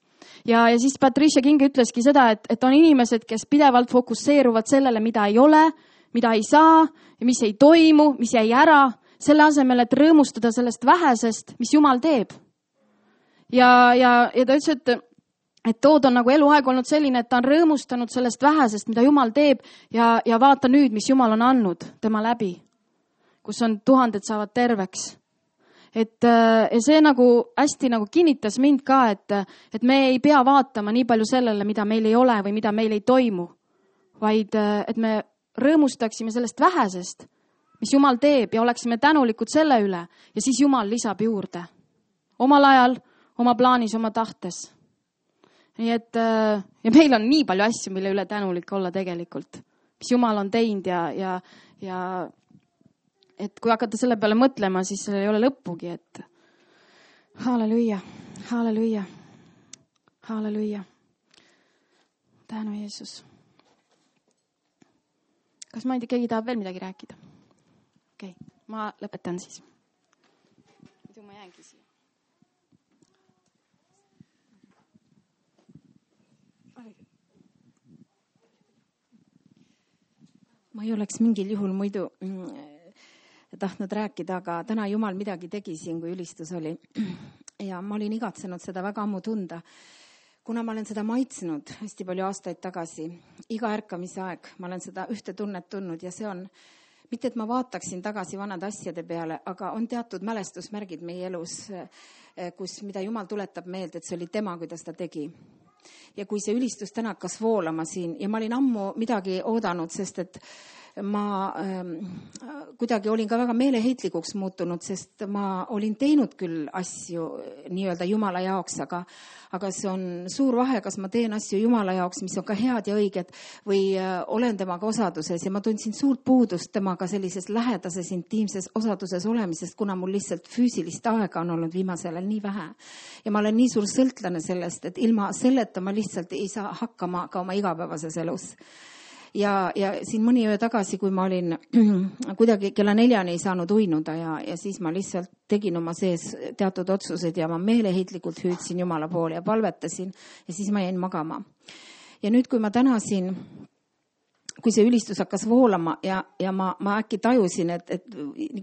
Ja siis Patricia King ütleski seda, et on inimesed, kes pidevalt fokusseeruvad sellele, mida ei ole, mida ei saa, mis ei toimu, mis jäi ära, selle asemel, et rõõmustada sellest vähesest, mis Jumal teeb. Ja ta ütles, et Tood on nagu eluaeg olnud selline, et ta on rõõmustanud sellest vähesest, mida Jumal teeb ja vaata nüüd, mis Jumal on andnud tema läbi, kus on tuhanded saavad terveks. Ja see nagu hästi nagu kinnitas mind ka, et me ei pea vaatama nii palju sellele, mida meil ei ole või mida meil ei toimu, vaid et me rõõmustaksime sellest vähesest, mis Jumal teeb ja oleksime tänulikud selle üle ja siis Jumal lisab juurde. Omal ajal, oma plaanis, oma tahtes. Nii et ja meil on nii palju asju, mille üle tänulik olla tegelikult, mis Jumal on teinud ja et kui hakata selle peale mõtlema, siis sellel ei ole lõppugi, et halleluja, halleluja, halleluja. Tänu Jeesus. Kas ma ei tea, keegi tahab veel midagi rääkida? Okei, ma lõpetan siis. Muidu ma jäängi siia. Ma ei oleks mingil juhul muidu tahtnud rääkida, aga täna Jumal midagi tegi siin, kui ülistus oli. Ja ma olin igatsenud seda väga ammu tunda, kuna ma olen seda maitsnud hästi palju aastaid tagasi. Iga ärkamise aeg ma olen seda ühte tunnet tundnud ja see on, mitte et ma vaataksin tagasi vanade asjade peale, aga on teatud mälestusmärgid meie elus, mida Jumal tuletab meelde, et see oli tema, kuidas ta tegi. Ja kui see ülistus täna hakkas voolama siin ja ma olin ammu midagi oodanud, sest et ma kuidagi olin ka väga meeleheitlikuks muutunud, sest ma olin teinud küll asju nii-öelda Jumala jaoks, aga see on suur vahe, kas ma teen asju Jumala jaoks, mis on ka head ja õiged, või olen temaga osaduses ja ma tundsin suurt puudust temaga sellises lähedases, intiimses osaduses olemisest, kuna mul lihtsalt füüsilist aega on olnud viimasel ajal nii vähe. Ja ma olen nii suur sõltlane sellest, et ilma selleta ma lihtsalt ei saa hakkama ka oma igapäevases elus. Ja siin mõni öö tagasi, kui ma olin kuidagi kella 4 ei saanud uinuda ja siis ma lihtsalt tegin oma sees teatud otsused ja ma meeleheitlikult hüüdsin Jumala poole ja palvetasin ja siis ma jäin magama. Ja nüüd, kui ma täna siin kui see ülistus hakkas voolama ja ma äkki tajusin, et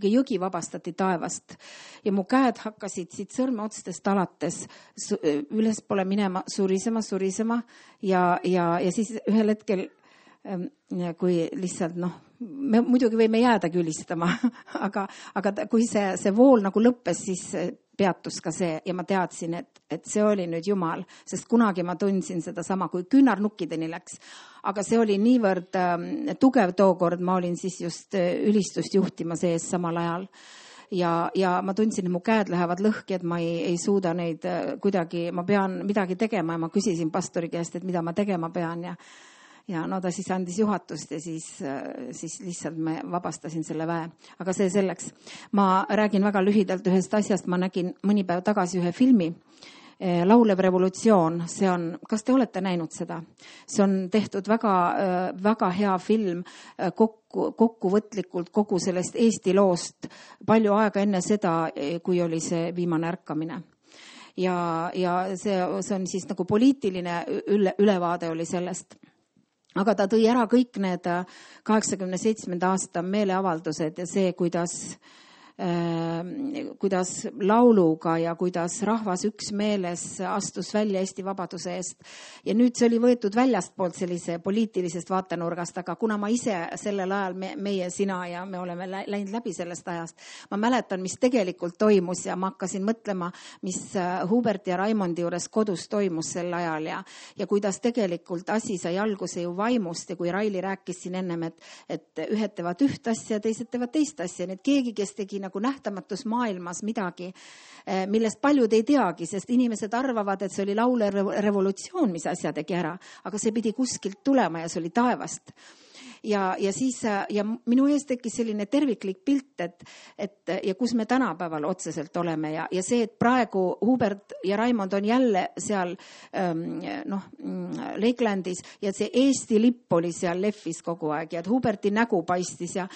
jõgi vabastati taevast ja mu käed hakkasid siit sõrmeotstest alates ülespoole minema, surisema ja siis ühel hetkel, kui lihtsalt me muidugi võime jäädagi ülistama, aga kui see vool nagu lõppes, siis peatus ka see ja ma teadsin, et see oli nüüd Jumal, sest kunagi ma tundsin seda sama, kui küünarnukkideni läks. Aga see oli niivõrd tugev tookord, ma olin siis just ülistust juhtimas ees samal ajal. Ja ma tundsin, et mu käed lähevad lõhki, et ma ei suuda neid kuidagi, ma pean midagi tegema ja ma küsisin pastori käest, et mida ma tegema pean ja no ta siis andis juhatust ja siis lihtsalt me vabastasin selle väe. Aga see selleks. Ma räägin väga lühidalt ühest asjast. Ma nägin mõni päev tagasi ühe filmi, Laulev revolutsioon. See on, kas te olete näinud seda? See on tehtud väga hea film kokkuvõtlikult kogu sellest Eesti loost palju aega enne seda, kui oli see viimane ärkamine. Ja see on siis nagu poliitiline ülevaade oli sellest. Aga ta tõi ära kõik need 87. aasta meeleavaldused ja see, kuidas lauluga ja kuidas rahvas üksmeeles astus välja Eesti vabaduse eest. Ja nüüd see oli võetud väljastpoolt sellise poliitilisest vaatenurgast, aga kuna ma ise sellel ajal, meie, sina ja me oleme läinud läbi sellest ajast, ma mäletan, mis tegelikult toimus ja ma hakkasin mõtlema, mis Hubert ja Raimondi juures kodus toimus sel ajal ja kuidas tegelikult asi sai alguse ju vaimust ja kui Raili rääkis siin ennem, et ühed teevad üht asja, teised teevad teist asja, nii et keegi, kes tegi nagu nähtamatus maailmas midagi, millest paljud ei teagi, sest inimesed arvavad, et see oli laulev revolutsioon, mis asja tegi ära, aga see pidi kuskilt tulema ja see oli taevast. Ja minu ees tekkis selline terviklik pilt, et ja kus me tänapäeval otseselt oleme ja see, et praegu Hubert ja Raimond on jälle seal Lakelandis ja see Eesti lipp oli seal lehvis kogu aeg ja et Huberti nägu paistis ja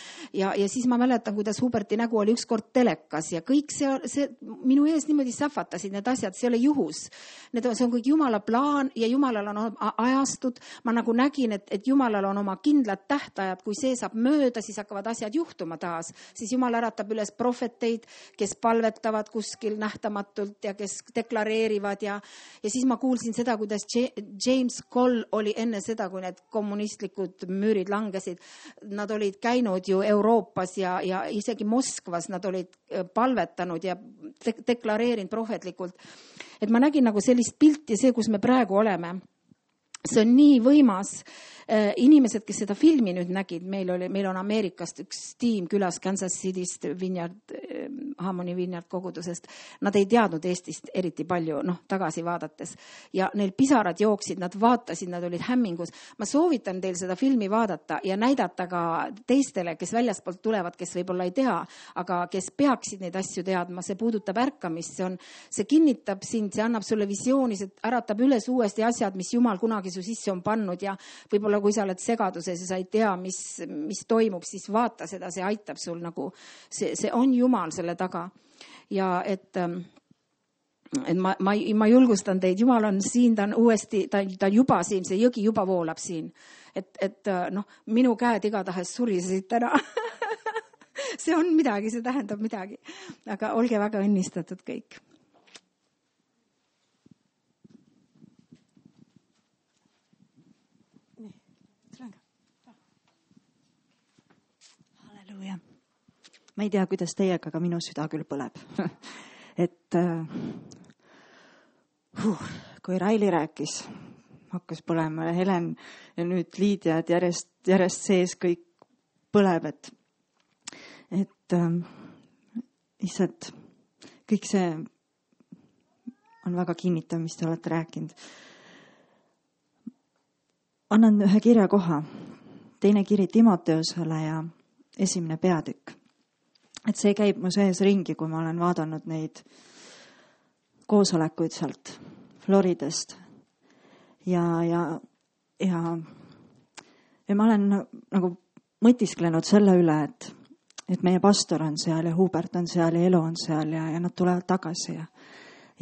siis ma mäletan, kuidas Huberti nägu oli ükskord telekas ja kõik see minu ees niimoodi sähvatasid need asjad, see ei ole juhus. See on kõik Jumala plaan ja Jumalal on ajastud. Ma nagu nägin, et Jumalal on oma kindlad tähtajad, kui see saab mööda, siis hakkavad asjad juhtuma taas. Siis Jumal äratab üles prohveteid, kes palvetavad kuskil nähtamatult ja kes deklareerivad ja siis ma kuulsin seda, kuidas James Cole oli enne seda, kui need kommunistlikud müürid langesid. Nad olid käinud ju Euroopas ja isegi Moskvas nad olid palvetanud ja deklareerinud prohvetlikult. Et ma nägin nagu sellist pilti, see, kus me praegu oleme. See on nii võimas. Inimesed, kes seda filmi nüüd nägid, meil on Ameerikast üks tiim külas Kansas Cityst, Harmony Vineyard kogudusest. Nad ei teadnud Eestist eriti palju, tagasi vaadates. Ja neil pisarad jooksid, nad vaatasid, nad olid hämmingus. Ma soovitan teil seda filmi vaadata ja näidata ka teistele, kes väljaspoolt tulevad, kes võib-olla ei tea, aga kes peaksid neid asju teadma. See puudutab ärkamist, see kinnitab sind, see annab sulle visiooni, see äratab üles uuesti asjad, mis Jumal kunagi su sisse on pannud ja võib-olla kui sa oled segaduses ja sa ei tea, mis toimub, siis vaata seda, see aitab sul nagu, see on Jumal selle taga. Ja et ma julgustan teid, Jumal on siin, ta on uuesti, ta on juba siin, see jõgi juba voolab siin. Et minu käed igatahes surisesid täna. See on midagi, see tähendab midagi. Aga olge väga õnnistatud kõik. Ma ei tea, kuidas teiega, aga minu süda küll põleb. Et kui Raili rääkis, hakkas põlema ja Helen ja nüüd Liidia, et järjest sees kõik põleb, et lihtsalt kõik see on väga kinnitav, mis te olete rääkinud. Annan ühe kirjakoha, 2. kiri Timoteusele ja 1. peatükk. Et see käib mu sees ringi, kui ma olen vaadanud neid koosolekuid sealt Floridast. Ja ma olen nagu mõtisklenud selle üle, et meie pastor on seal ja Hubert on seal ja Elo on seal ja nad tulevad tagasi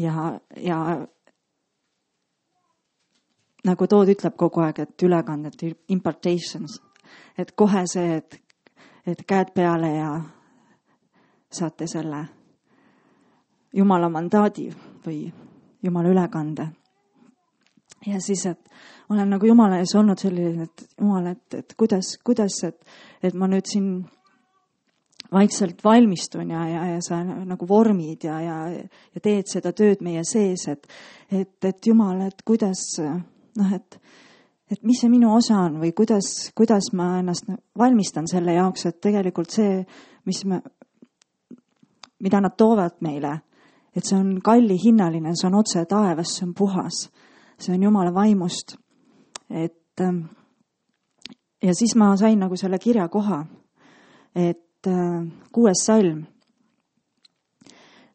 ja nagu Tood ütleb kogu aeg, et ülekanded, impartations, et kohe see, et käed peale ja saate selle Jumala mandaadi või Jumala ülekande. Ja siis, et olen nagu Jumala ees olnud selline, et Jumal, et kuidas, et ma nüüd siin vaikselt valmistun ja sa nagu vormid ja teed seda tööd meie sees, et Jumal, et kuidas, et mis see minu osa on või kuidas ma ennast valmistan selle jaoks, et tegelikult see, mida nad toovad meile, et see on kallihinnaline, see on otse taevas, see on puhas, see on Jumala vaimust. Ja siis ma sain nagu selle kirja koha, et 6. salm.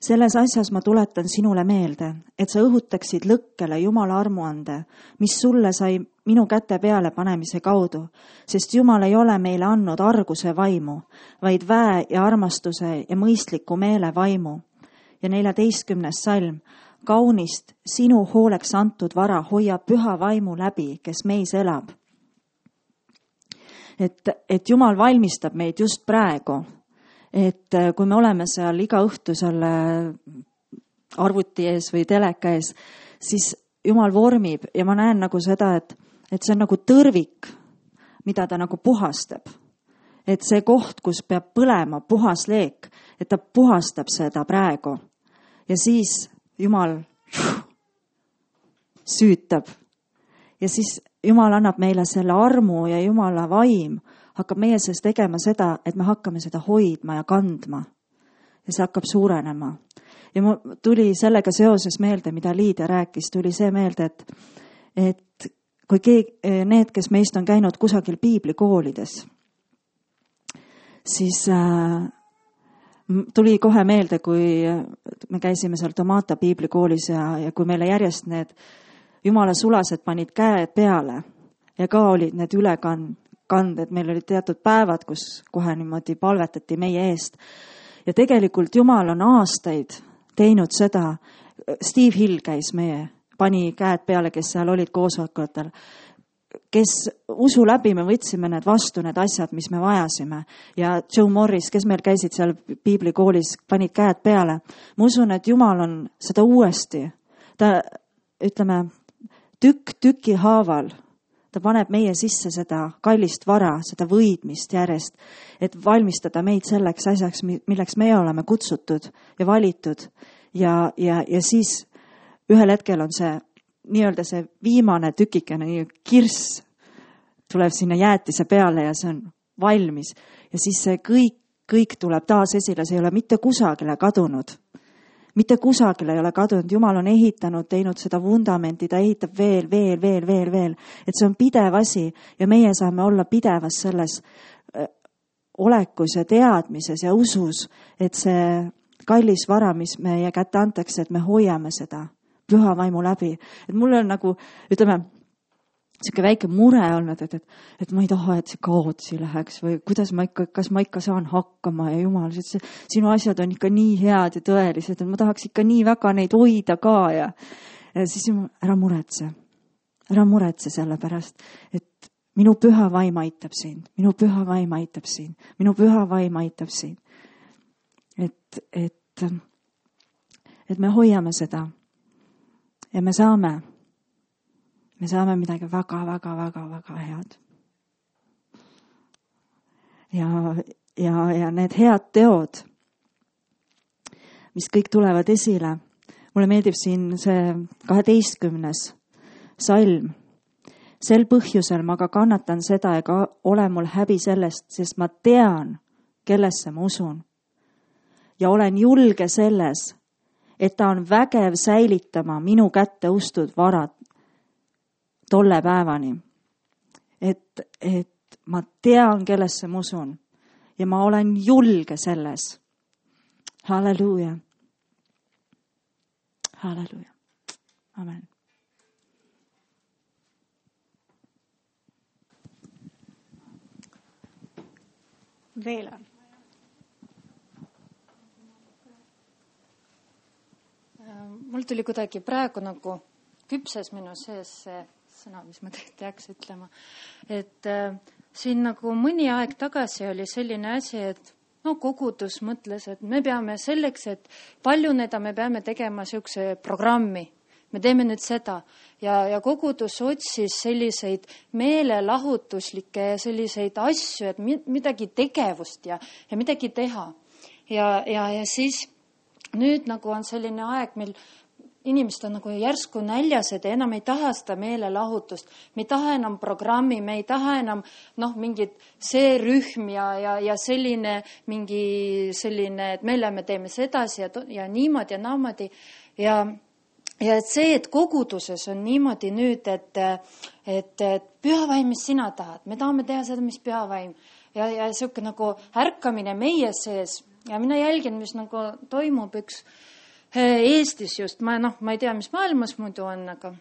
Selles asjas ma tuletan sinule meelde, et sa õhutaksid lõkkele Jumala armuande, mis sulle sai minu käte peale panemise kaudu, sest Jumal ei ole meile andnud arguse vaimu, vaid väe ja armastuse ja mõistliku meele vaimu. Ja 14. salm. Kaunist sinu hooleks antud vara hoiab püha vaimu läbi, kes meis elab. Et Jumal valmistab meid just praegu, et kui me oleme seal iga õhtu selle arvuti ees või teleka ees, siis Jumal vormib ja ma näen nagu seda, et see on nagu tõrvik, mida ta nagu puhastab. Et see koht, kus peab põlema puhas leek, et ta puhastab seda praegu. Ja siis Jumal süütab. Ja siis Jumal annab meile selle armu ja Jumala vaim hakkab meie sees tegema seda, et me hakkame seda hoidma ja kandma. Ja see hakkab suurenema. Ja mul tuli sellega seoses meelde, mida Liidia rääkis, tuli see meelde, et kui need, kes meist on käinud kusagil piiblikoolides, siis tuli kohe meelde, kui me käisime seal Tomata piiblikoolis ja kui meile järjest need Jumala sulased panid käed peale ja ka olid need ülekanded, meil olid teatud päevad, kus kohe niimoodi palvetati meie eest. Ja tegelikult Jumal on aastaid teinud seda, Steve Hill käis pani käed peale, kes seal olid koosolekutel, kes usu läbi me võtsime need vastu, need asjad, mis me vajasime. Ja Joe Morris, kes meil käisid seal piiblikoolis, panid käed peale. Ma usun, et Jumal on seda uuesti, ta ütleme, tüki haaval, ta paneb meie sisse seda kallist vara, seda võidmist järjest, et valmistada meid selleks asjaks, milleks me oleme kutsutud ja valitud. Ja siis ühel hetkel on see nii-öelda see viimane tükikene kirss tuleb sinna jäätise peale ja see on valmis. Ja siis see kõik tuleb taas esile, see ei ole mitte kusagile kadunud. Mitte kusagile ei ole kadunud. Jumal on ehitanud, teinud seda vundamenti, ta ehitab veel. Et see on pidev asi ja meie saame olla pidevas selles olekus ja teadmises ja usus, et see kallis vara, mis meie kätte antakse, et me hoiame seda püha vaimu läbi. Et mul on nagu, ütleme, siuke väike mure olnud, et ma ei taha, et see kaotsi läheks või kas ma ikka saan hakkama ja Jumal, sinu asjad on ikka nii head ja tõelised, et ma tahaks ikka nii väga neid hoida ka ja siis ära muretse selle pärast, et minu püha vaim aitab sind, minu püha vaim aitab sind, minu püha vaim aitab sind. Et me hoiame seda ja me saame midagi väga head. Ja need head teod, mis kõik tulevad esile. Mulle meeldib siin see 12. salm. Sel põhjusel ma ka kannatan seda ega ole mul häbi sellest, sest ma tean, kellesse ma usun. Ja olen julge selles, et ta on vägev säilitama minu kätte ustud varad tolle päevani. Et ma tean, kellesse ma usun ja ma olen julge selles. Halleluuja. Halleluuja. Amen. Veel on. Mul tuli kuidagi praegu nagu küpses minu sees see sõna, mis ma teaks ütlema. Et siin nagu mõni aeg tagasi oli selline asi, et no kogudus mõtles, et me peame selleks, et paljuneda, me peame tegema niisuguse programmi. Me teeme nüüd seda ja kogudus otsis selliseid meelelahutuslikke ja selliseid asju, et midagi tegevust ja midagi teha. Ja siis nüüd nagu on selline aeg, mil inimesed on nagu järsku näljased ja enam ei taha seda meelelahutust. Me ei taha enam programmi, me ei taha enam mingit see rühm ja selline, mingi selline, et me teeme sedasi ja niimoodi ja naamodi. Ja et see, et koguduses on niimoodi nüüd, et pühavaim, mis sina tahad, me tahame teha seda, mis pühavaim ja siuke nagu ärkamine meie sees ja mina jälgin, mis nagu toimub üks Eestis just, ma ei tea, mis maailmas muidu on, aga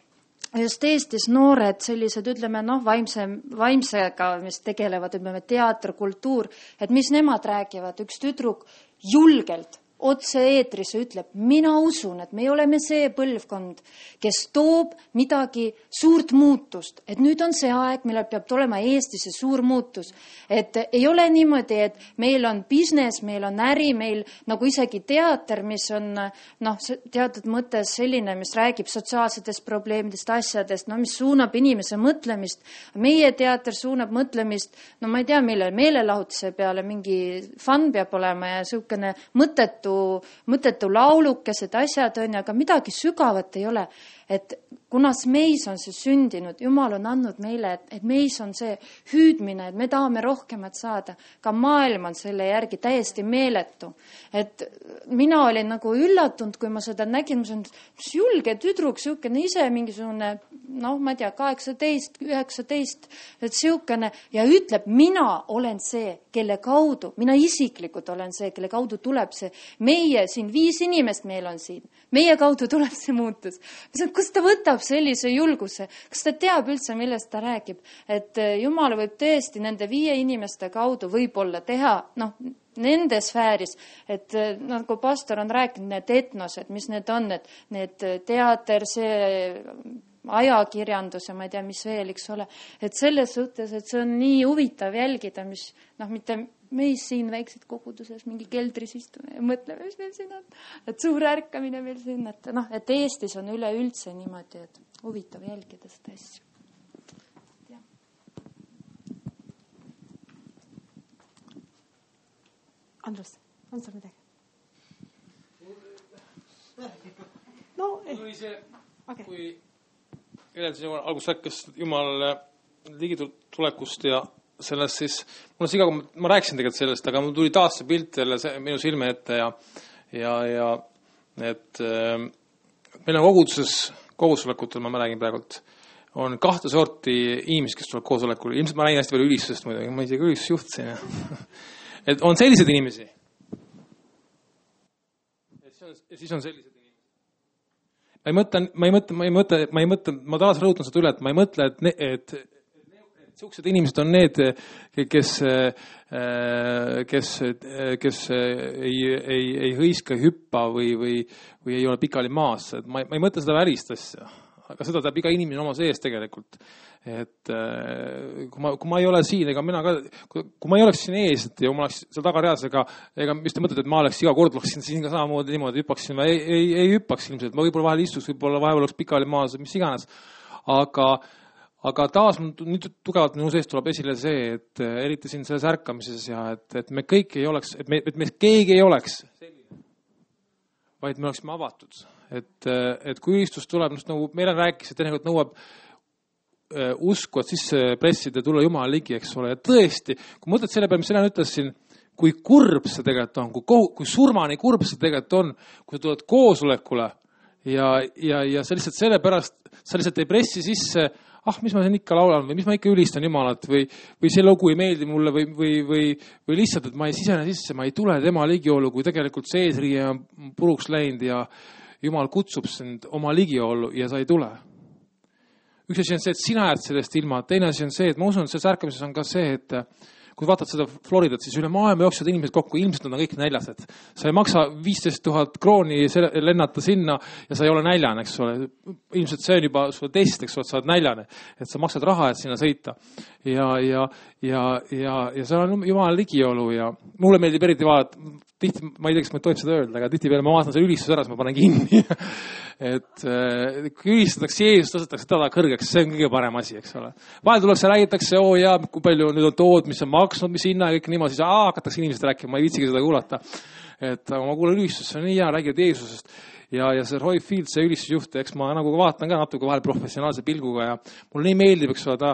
just Eestis noored sellised, ütleme, vaimsega, mis tegelevad, ütleme, teater, kultuur, et mis nemad räägivad, üks tüdruk julgelt otse eetris ütleb, mina usun, et me oleme see põlvkond, kes toob midagi suurt muutust. Et nüüd on see aeg, millal peab tulema Eestis see suur muutus. Et ei ole niimoodi, et meil on business, meil on äri, meil nagu isegi teater, mis on teatud mõttes selline, mis räägib sotsiaalsetest probleemidest, asjadest, mis suunab inimese mõtlemist. Meie teater suunab mõtlemist, ma ei tea, millele meelelahutuse peale mingi fun peab olema ja siukene mõttetu laulukesed asjad on, aga midagi sügavat ei ole. Et kunas meis on see sündinud, Jumal on andnud meile, et meis on see hüüdmine, et me tahame rohkemat saada. Ka maailm on selle järgi täiesti meeletu. Et mina olin nagu üllatunud, kui ma seda nägin, mis julge tüdruk, siukene ise mingisugune, ma ei tea, 18, 19, et siukene ja ütleb, mina olen see, kelle kaudu, mina isiklikult olen see, kelle kaudu tuleb see. Meie siin 5 inimest meil on siin. Meie kaudu tuleb see muutus. Kus ta võtab sellise julguse? Kas ta teab üldse, millest ta räägib? Et Jumal võib tõesti nende 5 inimeste kaudu võib-olla teha, nende sfääris, et nagu pastor on rääkinud, need etnosed, mis need on, et need teater, see ajakirjandus ja ma ei tea, mis veel, eks ole. Et selles suhtes, et see on nii huvitav jälgida, mis mitte meis siin väiksed koguduses mingi keldris istume ja mõtleme, mis meil siin on. Et suur ärkamine meil siin, et Eestis on üleüldse niimoodi, et huvitav jälgida seda asju. Andrus, on sul midagi? Kui edeldasin alguses rääkis Jumal ligitulekust ja sellest siis, mul on siga, kui ma rääkisin tegelikult sellest, aga mul tuli taas see pilt jälle minu silme ette ja et meil on koosolekutel, ma räägin praegult, on 2 sorti inimesed, kes tuleb koosolekul. Ilmselt ma räägin hästi palju ülistusest muidugi, ma isegi ülistusjuht siin. Et on sellised inimesi. Ja siis on sellised inimesi. Ma taas rõhutan seda üle, et ma ei mõtle, et siuksed inimesed on need, kes ei hõiska, hüppa või ei ole pikali maas. Ma ei mõtle seda välist asja, aga seda teab iga inimene oma sees tegelikult. Et kui ma ei ole siin, ega mina ka, kui ma ei oleks siin ees, ja ma oleks seal tagareas, ega mis te mõtlete, et ma oleks iga kord oleksin siin ka samamoodi niimoodi, hüppaksin või ei hüppaks ilmselt. Ma võib-olla vahel istuks, võib-olla vahepeal oleks pikali maas, mis iganes. Aga taas nüüd tugevalt minu sees tuleb esile see, et eriti siin selles ärkamises ja et me kõik ei oleks, et me keegi ei oleks selline, vaid me oleksime avatud. Et kui ülistus tuleb, nagu meile rääkis, et teinekord nõuab usku, et siis pressida ja tulla Jumala ligi, eks ole. Ja tõesti, kui mõtled selle peale, mis Helen ütles siin, kui kurb see tegelikult on, kui surmani kurb see tegelikult on, kui sa tuled koosolekule ja sa lihtsalt sellepärast, sa lihtsalt ei pressi sisse, mis ma siin ikka laulan või mis ma ikka ülistan Jumalat või see lugu ei meeldi mulle või lihtsalt, et ma ei sisene sisse, ma ei tule tema ligiolu, kui tegelikult see eesriie on puruks läinud ja Jumal kutsub sind oma ligiolu ja sa ei tule. Üks asi on see, et sina jääd sellest ilma. Teine asi on see, et ma usun, et selles ärkamises on ka see, et kui vaatad seda Floridat, siis üle maailma jooksevad inimesed kokku, ilmselt nad on kõik näljased. Sa ei maksa 15 000 krooni lennata sinna ja sa ei ole näljane, eks ole. Ilmselt see on juba sulle test, eks ole, sa oled näljane, et sa maksad raha, et sinna sõita. Ja seal on Jumala ligiolu ja mulle meeldib eriti vaadata, tihti, ma ei tea, kas ma tohib seda öelda, aga tihti peale ma vaatan selle ülistus ära, siis ma panen kinni. Et kui ülistatakse Jeesus, tõstetakse teda kõrgeks, see on kõige parem asi, eks ole. Vahel tullakse, räägitakse, kui palju nüüd on tood, mis on maksnud, mis hinna ja kõik niimoodi, siis hakatakse inimesed rääkima, ma ei viitsigi seda kuulata. Et ma kuulen ülistus, see on nii hea, räägivad Jeesusest. Ja see Roy Field, see ülistusjuht, eks ma nagu vaatan ka natuke vahel professionaalse pilguga ja mulle nii meeldib, eks ole,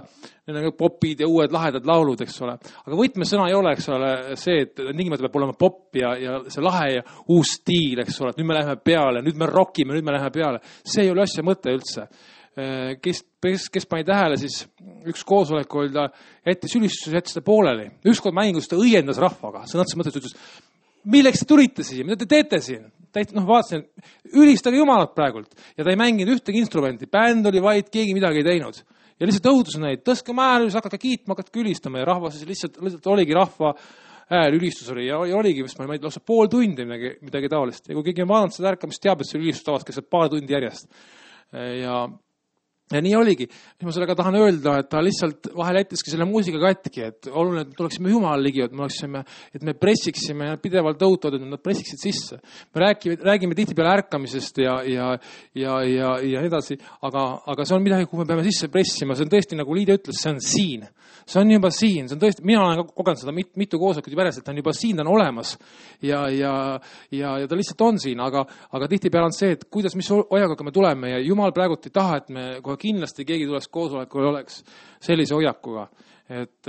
need on popid ja uued lahedad laulud, eks ole. Aga võtmesõna ei ole, eks ole, see, et tingimata peab olema pop ja see lahe ja uus stiil, eks ole, et nüüd me läheme peale, nüüd me rockime, nüüd me läheme peale. See ei ole asja mõte üldse. Kes pani tähele, siis üks koosolek oli ta jättis ülistus, jättis ta pooleli. Ükskord mängus ta õiendas rahvaga, sõnatas mõttes, ütles, milleks te tulite siia, mida te teete siin? Vaatasin, ülistage Jumalat praegult. Ja ta ei mänginud ühtegi instrumenti. Bänd oli vaid, keegi midagi ei teinud. Ja lihtsalt õudus neid, tõske määl, hakake kiitma, hakake ülistama. Ja rahva siis lihtsalt oligi rahva hääl, ülistus oli. Ja oligi, mis ma ei lausa pool tundi midagi taolist. Ja kui keegi on vaadanud seda ärkamist, teab, et see ülistus tavas käis paar tundi järjest. Ja nii oligi. Ma sellega tahan öelda, et ta lihtsalt vahel jättiski selle muusika katki, et oluline, et tuleksime Jumala ligi, et me pressiksime ja pidevalt tõutavad, et nad pressiksid sisse. Me räägime tihtipeale ärkamisest ja edasi, aga see on midagi, kuhu me peame sisse pressima. See on tõesti, nagu Liidia ütles, see on siin. See on juba siin. See on tõesti, mina olen kogenud seda mitu koosolekut juba järjest, et ta on juba siin, ta on olemas. Ja ta lihtsalt on siin, aga tihtipeale on see, et kuidas, mis hoiakuga me tuleme ja Jumal praegult ei taha, et me kohe kindlasti keegi tuleks koosolekul oleks sellise hoiakuga. Et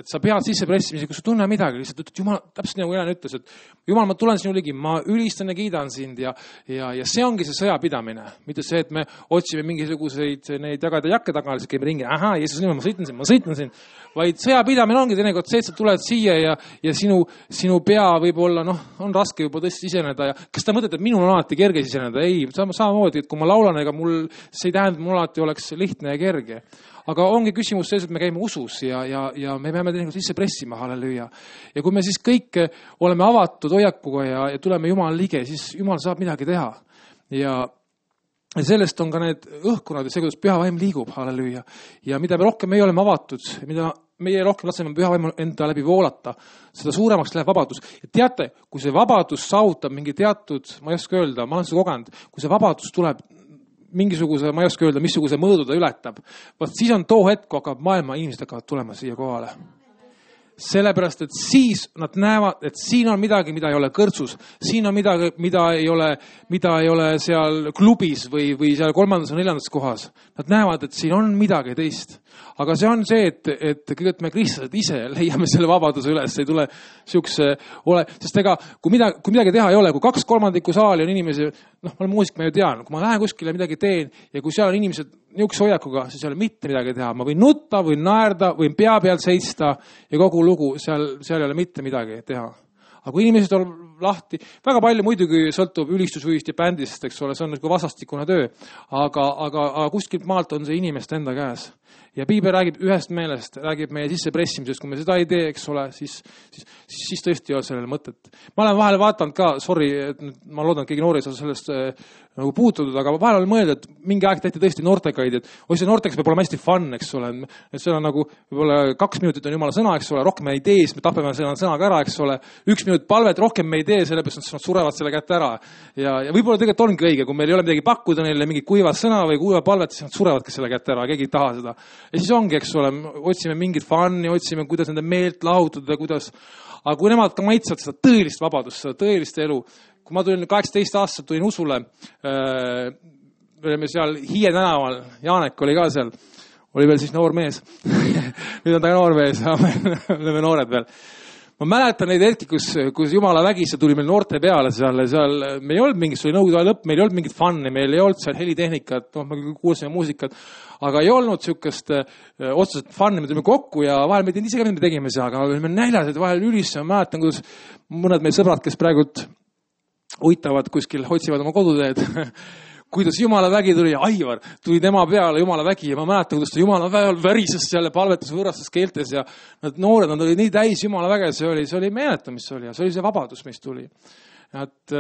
sa pead sisse pressima, kui sa tunne midagi, lihtsalt ütled, Jumal, täpselt nagu Helen ütles, et Jumal, ma tulen sinu ligi, ma ülistan ja kiidan sind ja see ongi see sõjapidamine. Mitte see, et me otsime mingisuguseid neid jagada jakke taga, lihtsalt käime ringi, Jeesus niimoodi, ma sõitan sind. Vaid sõjapidamine ongi teinekord see, et sa tuled siia ja sinu pea võib olla, on raske juba tõesti siseneda ja kas ta mõtled, et minul on alati kerge siseneda? Ei, samamoodi, et kui ma laulan, ega see ei tähenda, et mul alati oleks lihtne ja kerge. Aga ongi küsimus selles, et me käime usus ja me peame teinekord sisse pressima, halleluja. Ja kui me siis kõik oleme avatud hoiakuga ja tuleme Jumala ligi, siis Jumal saab midagi teha. Ja sellest on ka need õhkunad ja see, kuidas püha vaim liigub, halleluja. Ja mida me rohkem me oleme avatud, mida meie rohkem laseme püha vaimu enda läbi voolata, seda suuremaks läheb vabadus. Ja teate, kui see vabadus saavutab mingi teatud, ma ei oska öelda, ma olen seda kogenud, kui see vabadus tuleb mingisuguse, ma ei oska öelda, missuguse mõõdu ta ületab. Vaat siis on too hetk, kui hakkab maailma inimesed hakkavad tulema siia kohale. Sellepärast, et siis nad näevad, et siin on midagi, mida ei ole kõrtsus. Siin on midagi, mida ei ole seal klubis või seal 3. või 4. kohas. Nad näevad, et siin on midagi teist. Aga see on see, et kõigepealt me kristlased ise leiame selle vabaduse üles. Ei tule siukse sest ega, kui midagi teha ei ole, kui 2/3 saali on inimesi, ma olen muusik, ma ju tean, kui ma lähen kuskile midagi teen ja kui seal on inimesed niisuguse hoiakuga, siis ei ole mitte midagi teha. Ma võin nutta, võin naerda, võin pea pealt seista ja kogu lugu, seal ei ole mitte midagi teha. Aga kui inimesed on lahti, väga palju muidugi sõltub ülistusvühist ja bändist, eks ole, see on nagu vastastikune töö. Aga kuskilt maalt on see inimeste enda käes. Ja Piibel räägib ühest meelest, räägib meie sissepressimisest. Kui me seda ei tee, eks ole, siis tõesti ei ole sellele mõtet. Ma olen vahel vaatanud ka, ma loodan, et keegi noori ei saa sellest nagu puututud, aga vahel olen mõelda, et mingi aeg tehti tõesti noortekaid, et see noorteks peab olema hästi fun, eks ole. Et see on nagu, võib-olla 2 minutit on Jumala sõna, eks ole, rohkem me ei tee, siis me tapeme selle sõnaga ära, eks ole. 1 minut palvet, rohkem me ei tee, sellepärast nad surevad selle kätte ära. Ja võib-olla tegelikult ongi õige, kui meil ei ole midagi pakkuda neile mingit kuiva sõna või kuiva palvet, siis nad surevadki selle kätte ära, keegi ei taha seda. Ja siis ongi, eks ole, otsime mingit fun'i, otsime, kuidas nende meelt lahutada, kuidas. Aga kui nemad ka maitsevad seda tõelist vabadust, seda tõelist elu. Kui ma tulin 18 aastat, tulin usule, me olime seal Hiie tänaval, Jaanek oli ka seal, oli veel siis noor mees. Nüüd on ta noor mees, me oleme noored veel. Ma mäletan neid hetki, kus Jumala vägisse tuli meil noorte peale seal, me ei olnud mingit, see oli nõukogude lõpp, meil ei olnud mingit fun'i, meil ei olnud seal helitehnikat, me kuulsime muusikat, aga ei olnud siukest otseselt fun'i, me tulime kokku ja vahel me ei teinud ise ka, mida me tegime seal, aga me olime näljased, vahel ülisse, ma mäletan, kuidas mõned meie sõbrad, kes praegult uitavad kuskil, otsivad oma koduteed, kuidas Jumala vägi tuli, Aivar tuli tema peale, Jumala vägi, ja ma mäletan, kuidas ta Jumala väel värises seal ja palvetas võõrastes keeltes ja nad noored, nad olid nii täis Jumala väge, see oli meeletu, mis see oli ja see oli see vabadus, mis tuli. Et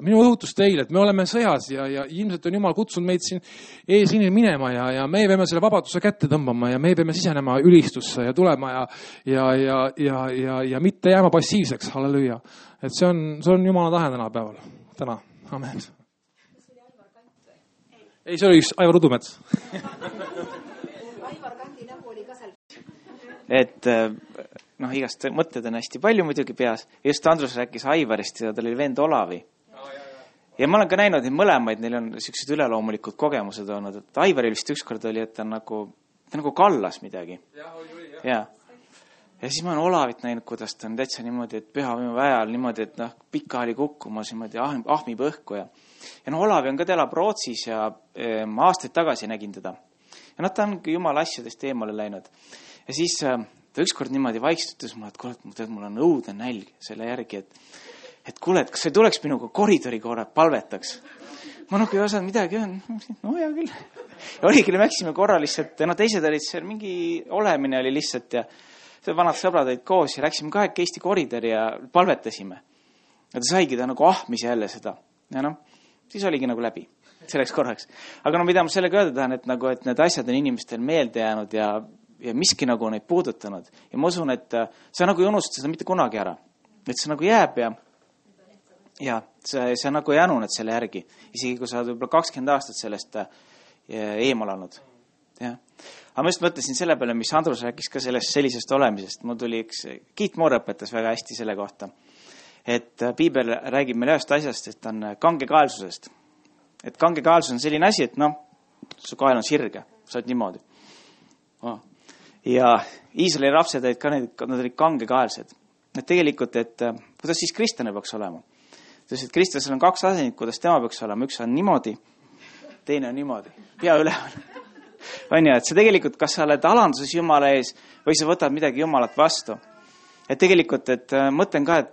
minu õhutus teile, et me oleme sõjas ja ilmselt on Jumal kutsunud meid siin eesliinil minema ja me peame selle vabaduse kätte tõmbama ja me peame sisenema ülistusse ja tulema ja mitte jääma passiivseks, halleluja. Et see on Jumala tahe tänapäeval. Täna, amen. Ei, see oli üks Aivar Udumets. Aivar Kandi nägu oli ka seal. Et igast mõtted on hästi palju muidugi peas. Just Andrus rääkis Aivarist ja tal oli vend Olavi. Ja ma olen ka näinud neid mõlemaid, neil on sellised üleloomulikud kogemused olnud. Et Aivaril vist ükskord oli, et ta nagu kallas midagi. Ja siis ma olen Olavit näinud, kuidas ta on täitsa niimoodi, et pühavõimu ajal niimoodi, et pika oli kukkumas niimoodi, ahmib õhku ja Olavi on ka, ta elab Rootsis ja ma aastaid tagasi nägin teda. Ja ta on Jumala asjadest eemale läinud. Ja siis ta ükskord niimoodi vaikstutas mulle, et kuule, mul on õudne nälg selle järgi, et kuule, et kas sa ei tuleks minuga koridori korra palvetaks? Ma ei osanud midagi, no hea küll. Ja oli küll, läksime korra lihtsalt, teised olid seal, mingi olemine oli lihtsalt ja vanad sõbrad olid koos ja läksime kahekesti koridori ja palvetasime. Ja ta saigi ta nagu ahmis jälle seda. Ja siis oligi nagu läbi selleks korraks. Aga mida ma sellega öelda tahan, et need asjad on inimestel meelde jäänud ja miski nagu neid puudutanud. Ja ma usun, et sa nagu ei unusta seda mitte kunagi ära. Et see nagu jääb ja sa nagu ei anuned selle järgi. Isegi kui sa oled võib-olla 20 aastat sellest eemal olnud. Ja. Aga ma just mõtlesin selle peale, mis Andrus rääkis ka sellisest olemisest. Mul tuli Kiit Moor õpetas väga hästi selle kohta. Et Piibel räägib meil ühest asjast, et on kangekaelsusest. Et kangekaelsus on selline asi, et su kael on sirge, sa oled niimoodi. Ja Iisraeli lapsed olid ka nad olid kangekaelsed. Et tegelikult, et kuidas siis kristlane peaks olema? Sest kristlasel on 2 asendit, kuidas tema peaks olema. Üks on niimoodi, teine on niimoodi. Pea üleval. On ja, et see tegelikult, kas sa oled alanduses Jumala ees või sa võtad midagi Jumalat vastu. Et tegelikult, et mõtlen ka, et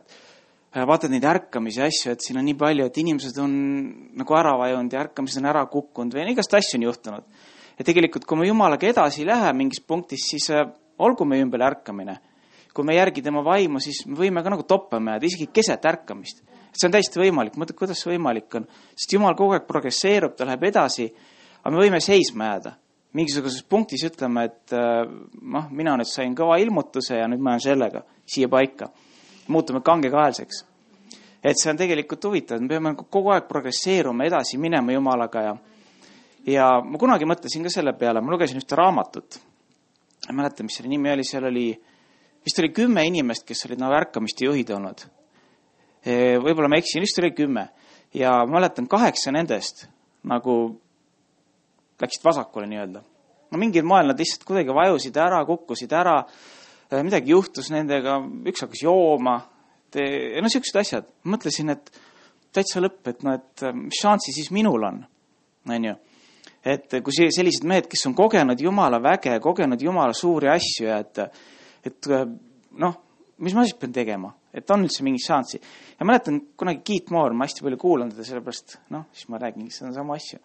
vaatad neid ärkamisi asju, et siin on nii palju, et inimesed on nagu ära vajunud ja ärkamised on ära kukkunud või igast asju on juhtunud. Ja tegelikult, kui me Jumalaga edasi ei lähe mingis punktis, siis olgu me ümber ärkamine. Kui me järgi tema vaimu, siis me võime ka nagu toppama jääda, isegi keset ärkamist. See on täiesti võimalik. Mõtled, kuidas see võimalik on? Sest Jumal kogu aeg progresseerub, ta läheb edasi, aga me võime seisma jääda. Mingisuguses punktis ütleme, et mina nüüd sain kõva ilmutuse ja nüüd ma olen sellega siia paika. Muutume kangekaelseks. Et see on tegelikult huvitav. Me peame kogu aeg progresseeruma, edasi minema Jumalaga ja ma kunagi mõtlesin ka selle peale. Ma lugesin ühte raamatut. Ma mäletan, mis selle nimi oli. Seal oli, vist oli 10 inimest, kes olid ärkamiste juhid olnud. Võib-olla ma eksin, vist oli 10. Ja ma mäletan 8 nendest nagu läksid vasakule nii-öelda. Mingil moel nad lihtsalt kuidagi vajusid ära, kukkusid ära, midagi juhtus nendega, üks hakkas jooma, sellised asjad. Mõtlesin, et täitsa lõpp, et mis šansi siis minul on. Et kui sellised mehed, kes on kogenud Jumala väge, kogenud Jumala suuri asju, et mis ma siis pean tegema, et on üldse mingi šansi. Ja mäletan kunagi Kiit Moor, ma hästi palju kuulan teda sellepärast, siis ma räägin, see on sama asju.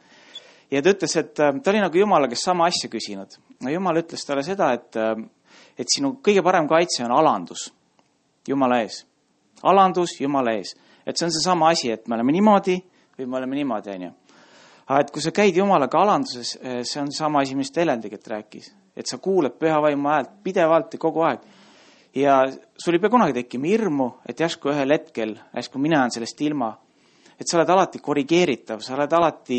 Ja ta ütles, et ta oli nagu Jumala, kes sama asja küsinud. Jumal ütles talle seda, et sinu kõige parem kaitse on alandus Jumala ees. Alandus Jumala ees. Et see on see sama asi, et me oleme niimoodi või me oleme niimoodi, on ju. Aga et kui sa käid Jumalaga alanduses, see on sama asi, mis Helendiget rääkis. Et sa kuuled püha vaimu häält pidevalt ja kogu aeg. Ja sul ei pea kunagi tekkima hirmu, et järsku ühel hetkel, järsku mina olen sellest ilma. Et sa oled alati korrigeeritav, sa oled alati...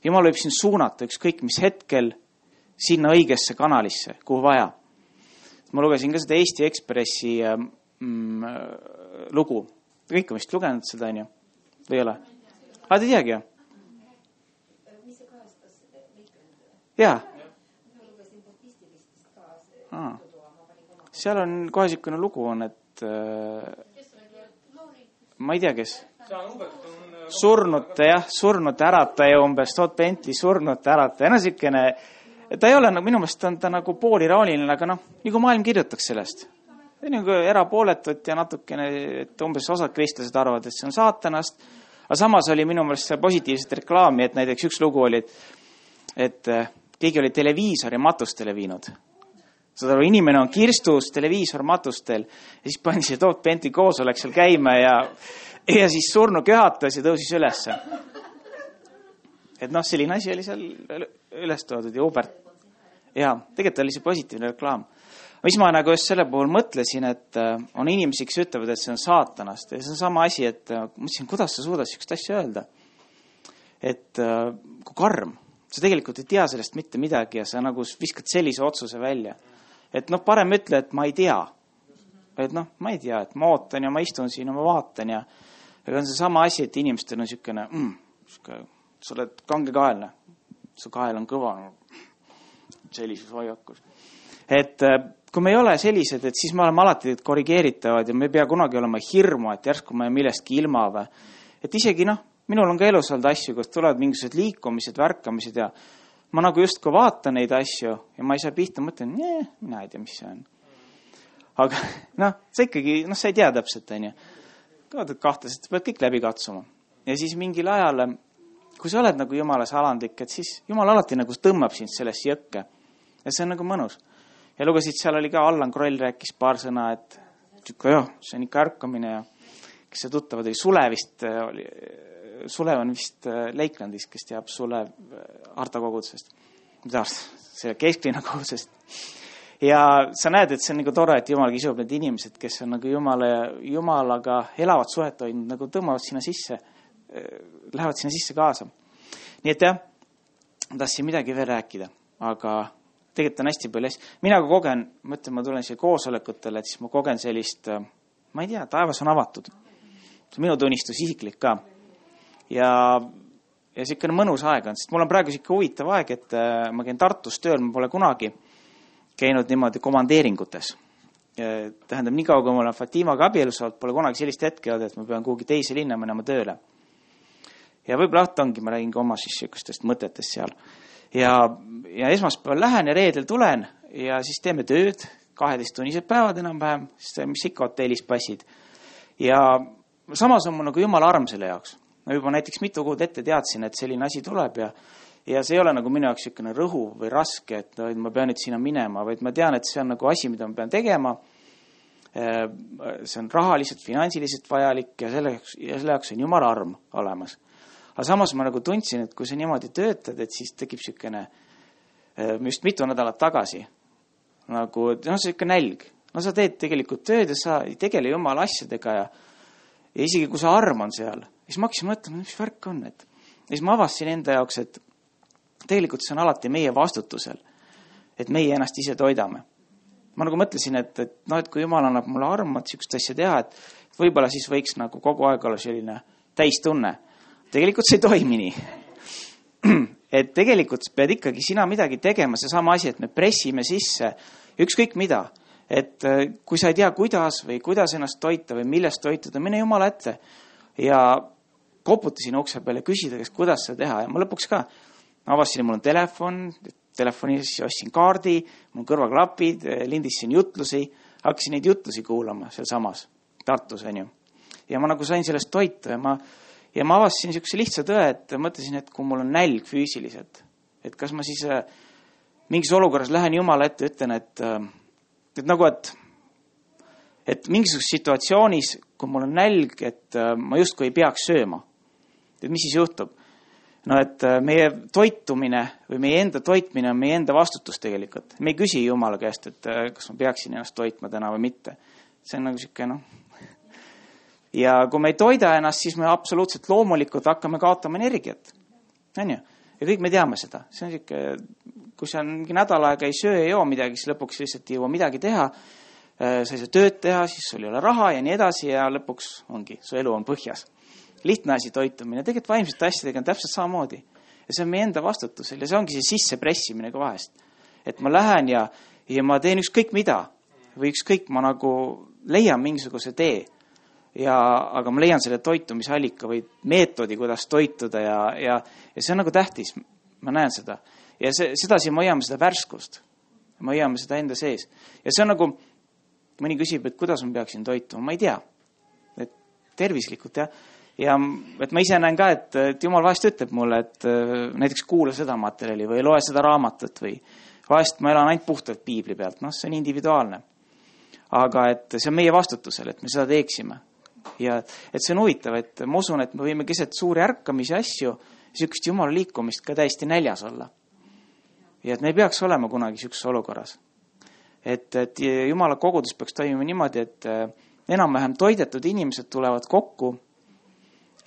Jumal võib sind suunata ükskõik mis hetkel sinna õigesse kanalisse, kuhu vaja. Ma lugesin ka seda Eesti Ekspressi lugu. Kõik on vist lugenud seda, on ju? Või ei ole? Te teagi, jah? Mis see kahestas? Jaa. Seal on kohe siukene lugu on, et ma ei tea, kes. Surnute ärataja umbes, Todd Bentley surnute ärataja. Siukene, ta ei ole, minu meelest on ta nagu pooliraoniline, aga nagu maailm kirjutaks sellest. Nagu erapooletut ja natukene, et umbes osad kristlased arvavad, et see on saatanast, Aga samas oli minu meelest positiivset reklaami, et näiteks üks lugu oli, et keegi oli televiisori matustele viinud. Saad aru, inimene on kirstus, televiisor matustel ja siis pani see Toot Benti koosolek seal käima ja siis surnu köhatas ja tõusis ülesse. Et selline asi oli seal üles toodud ja Hubert. Ja tegelikult oli see positiivne reklaam. Mis ma nagu just selle puhul mõtlesin, et on inimesi, kes ütlevad, et see on saatanast. Ja see on sama asi, et mõtlesin, kuidas sa suudad sellist asja öelda. Et kui karm, sa tegelikult ei tea sellest mitte midagi ja sa nagu viskad sellise otsuse välja. Et parem ütle, et ma ei tea. Et ma ei tea, et ma ootan ja ma istun siin ja ma vaatan ja on see sama asi, et inimestel on niisugune, sa oled kangekaelne, su kael on kõva sellises hoiakus. Et kui me ei ole sellised, et siis me oleme alati korrigeeritavad ja me ei pea kunagi olema hirmu, et järsku me millestki ilma või. Et isegi minul on ka elus olnud asju, kus tulevad mingisugused liikumised, värkamised ja ma nagu just kui vaatan neid asju ja ma ei saa pihta, mõtlen, mina ei tea, mis see on. Aga sa ikkagi, sa ei tea täpselt, on ju. Kahtlaselt, sa pead kõik läbi katsuma. Ja siis mingil ajal, kui sa oled nagu Jumalas alandlik, et siis Jumal alati nagu tõmbab sind sellest jõkke. Ja see on nagu mõnus. Ja lugesid, seal oli ka Allan Kroll rääkis paar sõna, et see on ikka ärkamine ja kes see tuttavad oli, Sulev on vist Leiklandis, kes teab Sulev Harta kogudusest. See kesklinna kogudusest. Ja sa näed, et see on nagu tore, et Jumal kisub need inimesed, kes on nagu Jumalaga elavad suhet hoidnud, nagu tõmbavad sinna sisse, lähevad sinna sisse kaasa. Nii et jah, tahtsin midagi veel rääkida, aga tegelikult on hästi palju hästi. Mina kui kogen, ma tulen siia koosolekutele, et siis ma kogen sellist, ma ei tea, taevas on avatud. See on minu tunnistus isiklik ka. Ja siukene mõnus aeg on, sest mul on praegu siuke huvitav aeg, et ma käin Tartus tööl, ma pole kunagi käinud niimoodi komandeeringutes. Tähendab, nii kaua, kui ma olen Fatimaga abielus olnud, pole kunagi sellist hetke olnud, et ma pean kuhugi teise linna minema tööle. Ja võib-olla ongi, ma räägin ka oma siis siukestest mõtetest seal. Ja esmaspäeval lähen ja reedel tulen ja siis teeme tööd, 12-tunnised päevad enam-vähem, mis ikka hotellis passid. Ja samas on mul nagu Jumala arm selle jaoks. Ma juba näiteks mitu kuud ette teadsin, et selline asi tuleb ja see ei ole nagu minu jaoks niisugune rõhu või raske, et ma pean nüüd sinna minema, vaid ma tean, et see on nagu asi, mida ma pean tegema. See on rahaliselt, finantsiliselt vajalik ja selle jaoks on Jumala arm olemas. Aga samas ma nagu tundsin, et kui sa niimoodi töötad, et siis tekib niisugune, just mitu nädalat tagasi, nagu, see niisugune nälg. Sa teed tegelikult tööd ja sa ei tegele Jumala asjadega ja isegi kui sa arm on seal, siis ma hakkasin mõtlema, mis värk on. Ja siis ma avastasin enda jaoks, et tegelikult see on alati meie vastutusel, et meie ennast ise toidame. Ma nagu mõtlesin, et kui Jumal annab mulle armat siukest asja teha, et võib-olla siis võiks nagu kogu aeg olla selline täistunne. Tegelikult see ei toimi nii. Et tegelikult pead ikkagi sina midagi tegema, see sama asi, et me pressime sisse ükskõik mida. Et kui sa ei tea, kuidas ennast toita või millest toituda, mine Jumala ette. Ja koputasin ukse peale küsida, kuidas seda teha. Ja ma lõpuks ka avasin, mul on telefonis ostsin kaardi, mul kõrvaklapid, lindisin jutlusi, hakkasin neid jutlusi kuulama seal samas Tartus, on ju. Ja ma nagu sain sellest toitu ja ma avastasin niisuguse lihtsa tõe, et mõtlesin, et kui mul on nälg füüsiliselt, et kas ma siis mingis olukorras lähen Jumala ette ja ütlen, et mingisuguses situatsioonis, kui mul on nälg, et ma justkui ei peaks sööma. Et mis siis juhtub? Et meie toitumine või meie enda toitmine on meie enda vastutus tegelikult. Me ei küsi Jumala käest, et kas ma peaksin ennast toitma täna või mitte. See on nagu siuke, Ja kui me ei toida ennast, siis me absoluutselt loomulikult hakkame kaotama energiat. On ju? Ja kõik me teame seda. See on siuke, kui sa mingi nädal aega ei söö ja joo midagi, siis lõpuks lihtsalt ei jõua midagi teha. Sa ei saa tööd teha, siis sul ei ole raha ja nii edasi ja lõpuks ongi, su elu on põhjas. Lihtne asi toitumine. Tegelikult vaimsete asjadega on täpselt samamoodi. Ja see on meie enda vastutusel ja see ongi see sissepressimine ka vahest. Et ma lähen ja ma teen ükskõik mida või ükskõik ma nagu leian mingisuguse tee. Aga ma leian selle toitumisallika või meetodi, kuidas toituda ja see on nagu tähtis. Ma näen seda. Ja sedasi me hoiame seda värskust. Me hoiame seda enda sees. Ja see on nagu, mõni küsib, et kuidas ma peaksin toituma. Ma ei tea. Et tervislikult, jah. ja et ma ise näen ka, et Jumal vahest ütleb mulle, et näiteks kuula seda materjali või loe seda raamatut või vahest ma elan ainult puhtalt piibli pealt, see on individuaalne. Aga et see on meie vastutusel, et me seda teeksime. Ja et see on huvitav, et ma usun, et me võime keset suuri ärkamisi asju, sihukest Jumala liikumist ka täiesti näljas olla. Ja et me ei peaks olema kunagi sihukeses olukorras. Et Jumala kogudus peaks toimima niimoodi, et enam-vähem toidetud inimesed tulevad kokku,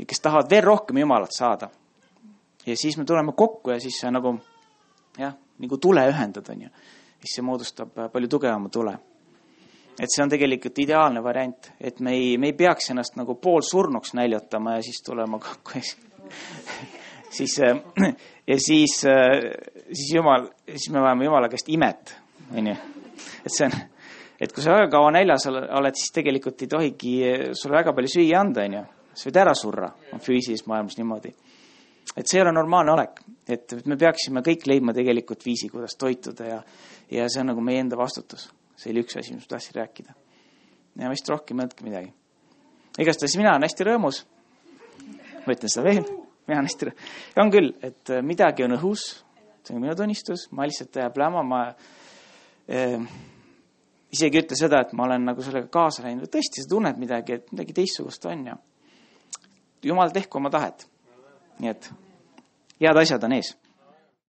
kes tahavad veel rohkem Jumalat saada. Ja siis me tuleme kokku ja siis see nagu tule ühendada, siis see moodustab palju tugevama tule. Et see on tegelikult ideaalne variant, et me ei peaks ennast nagu pool surnuks näljotama ja siis tulema kokku. siis me vajame Jumala käest imet. Et see on, et kui sa väga kaua näljas oled, siis tegelikult ei tohigi sulle väga palju süüa anda, sa võid ära surra, on füüsilises maailmas niimoodi. Et see ei ole normaalne olek, et me peaksime kõik leidma tegelikult viisi, kuidas toituda ja see on nagu meie enda vastutus. See oli üks asi, mis ma tahtsin rääkida. Ja vist rohkem mõtke midagi. Igastahes mina olen hästi rõõmus. Ma ütlen seda veel. Mina olen hästi rõõmus. Ja on küll, et midagi on õhus. See on minu tunnistus. Ma lihtsalt jääb läma. Ma isegi ütle seda, et ma olen nagu sellega kaasa läinud. Tõesti, sa tunned midagi, et midagi teistsugust on. Ja Jumal tehku oma tahet. Nii et head asjad on ees.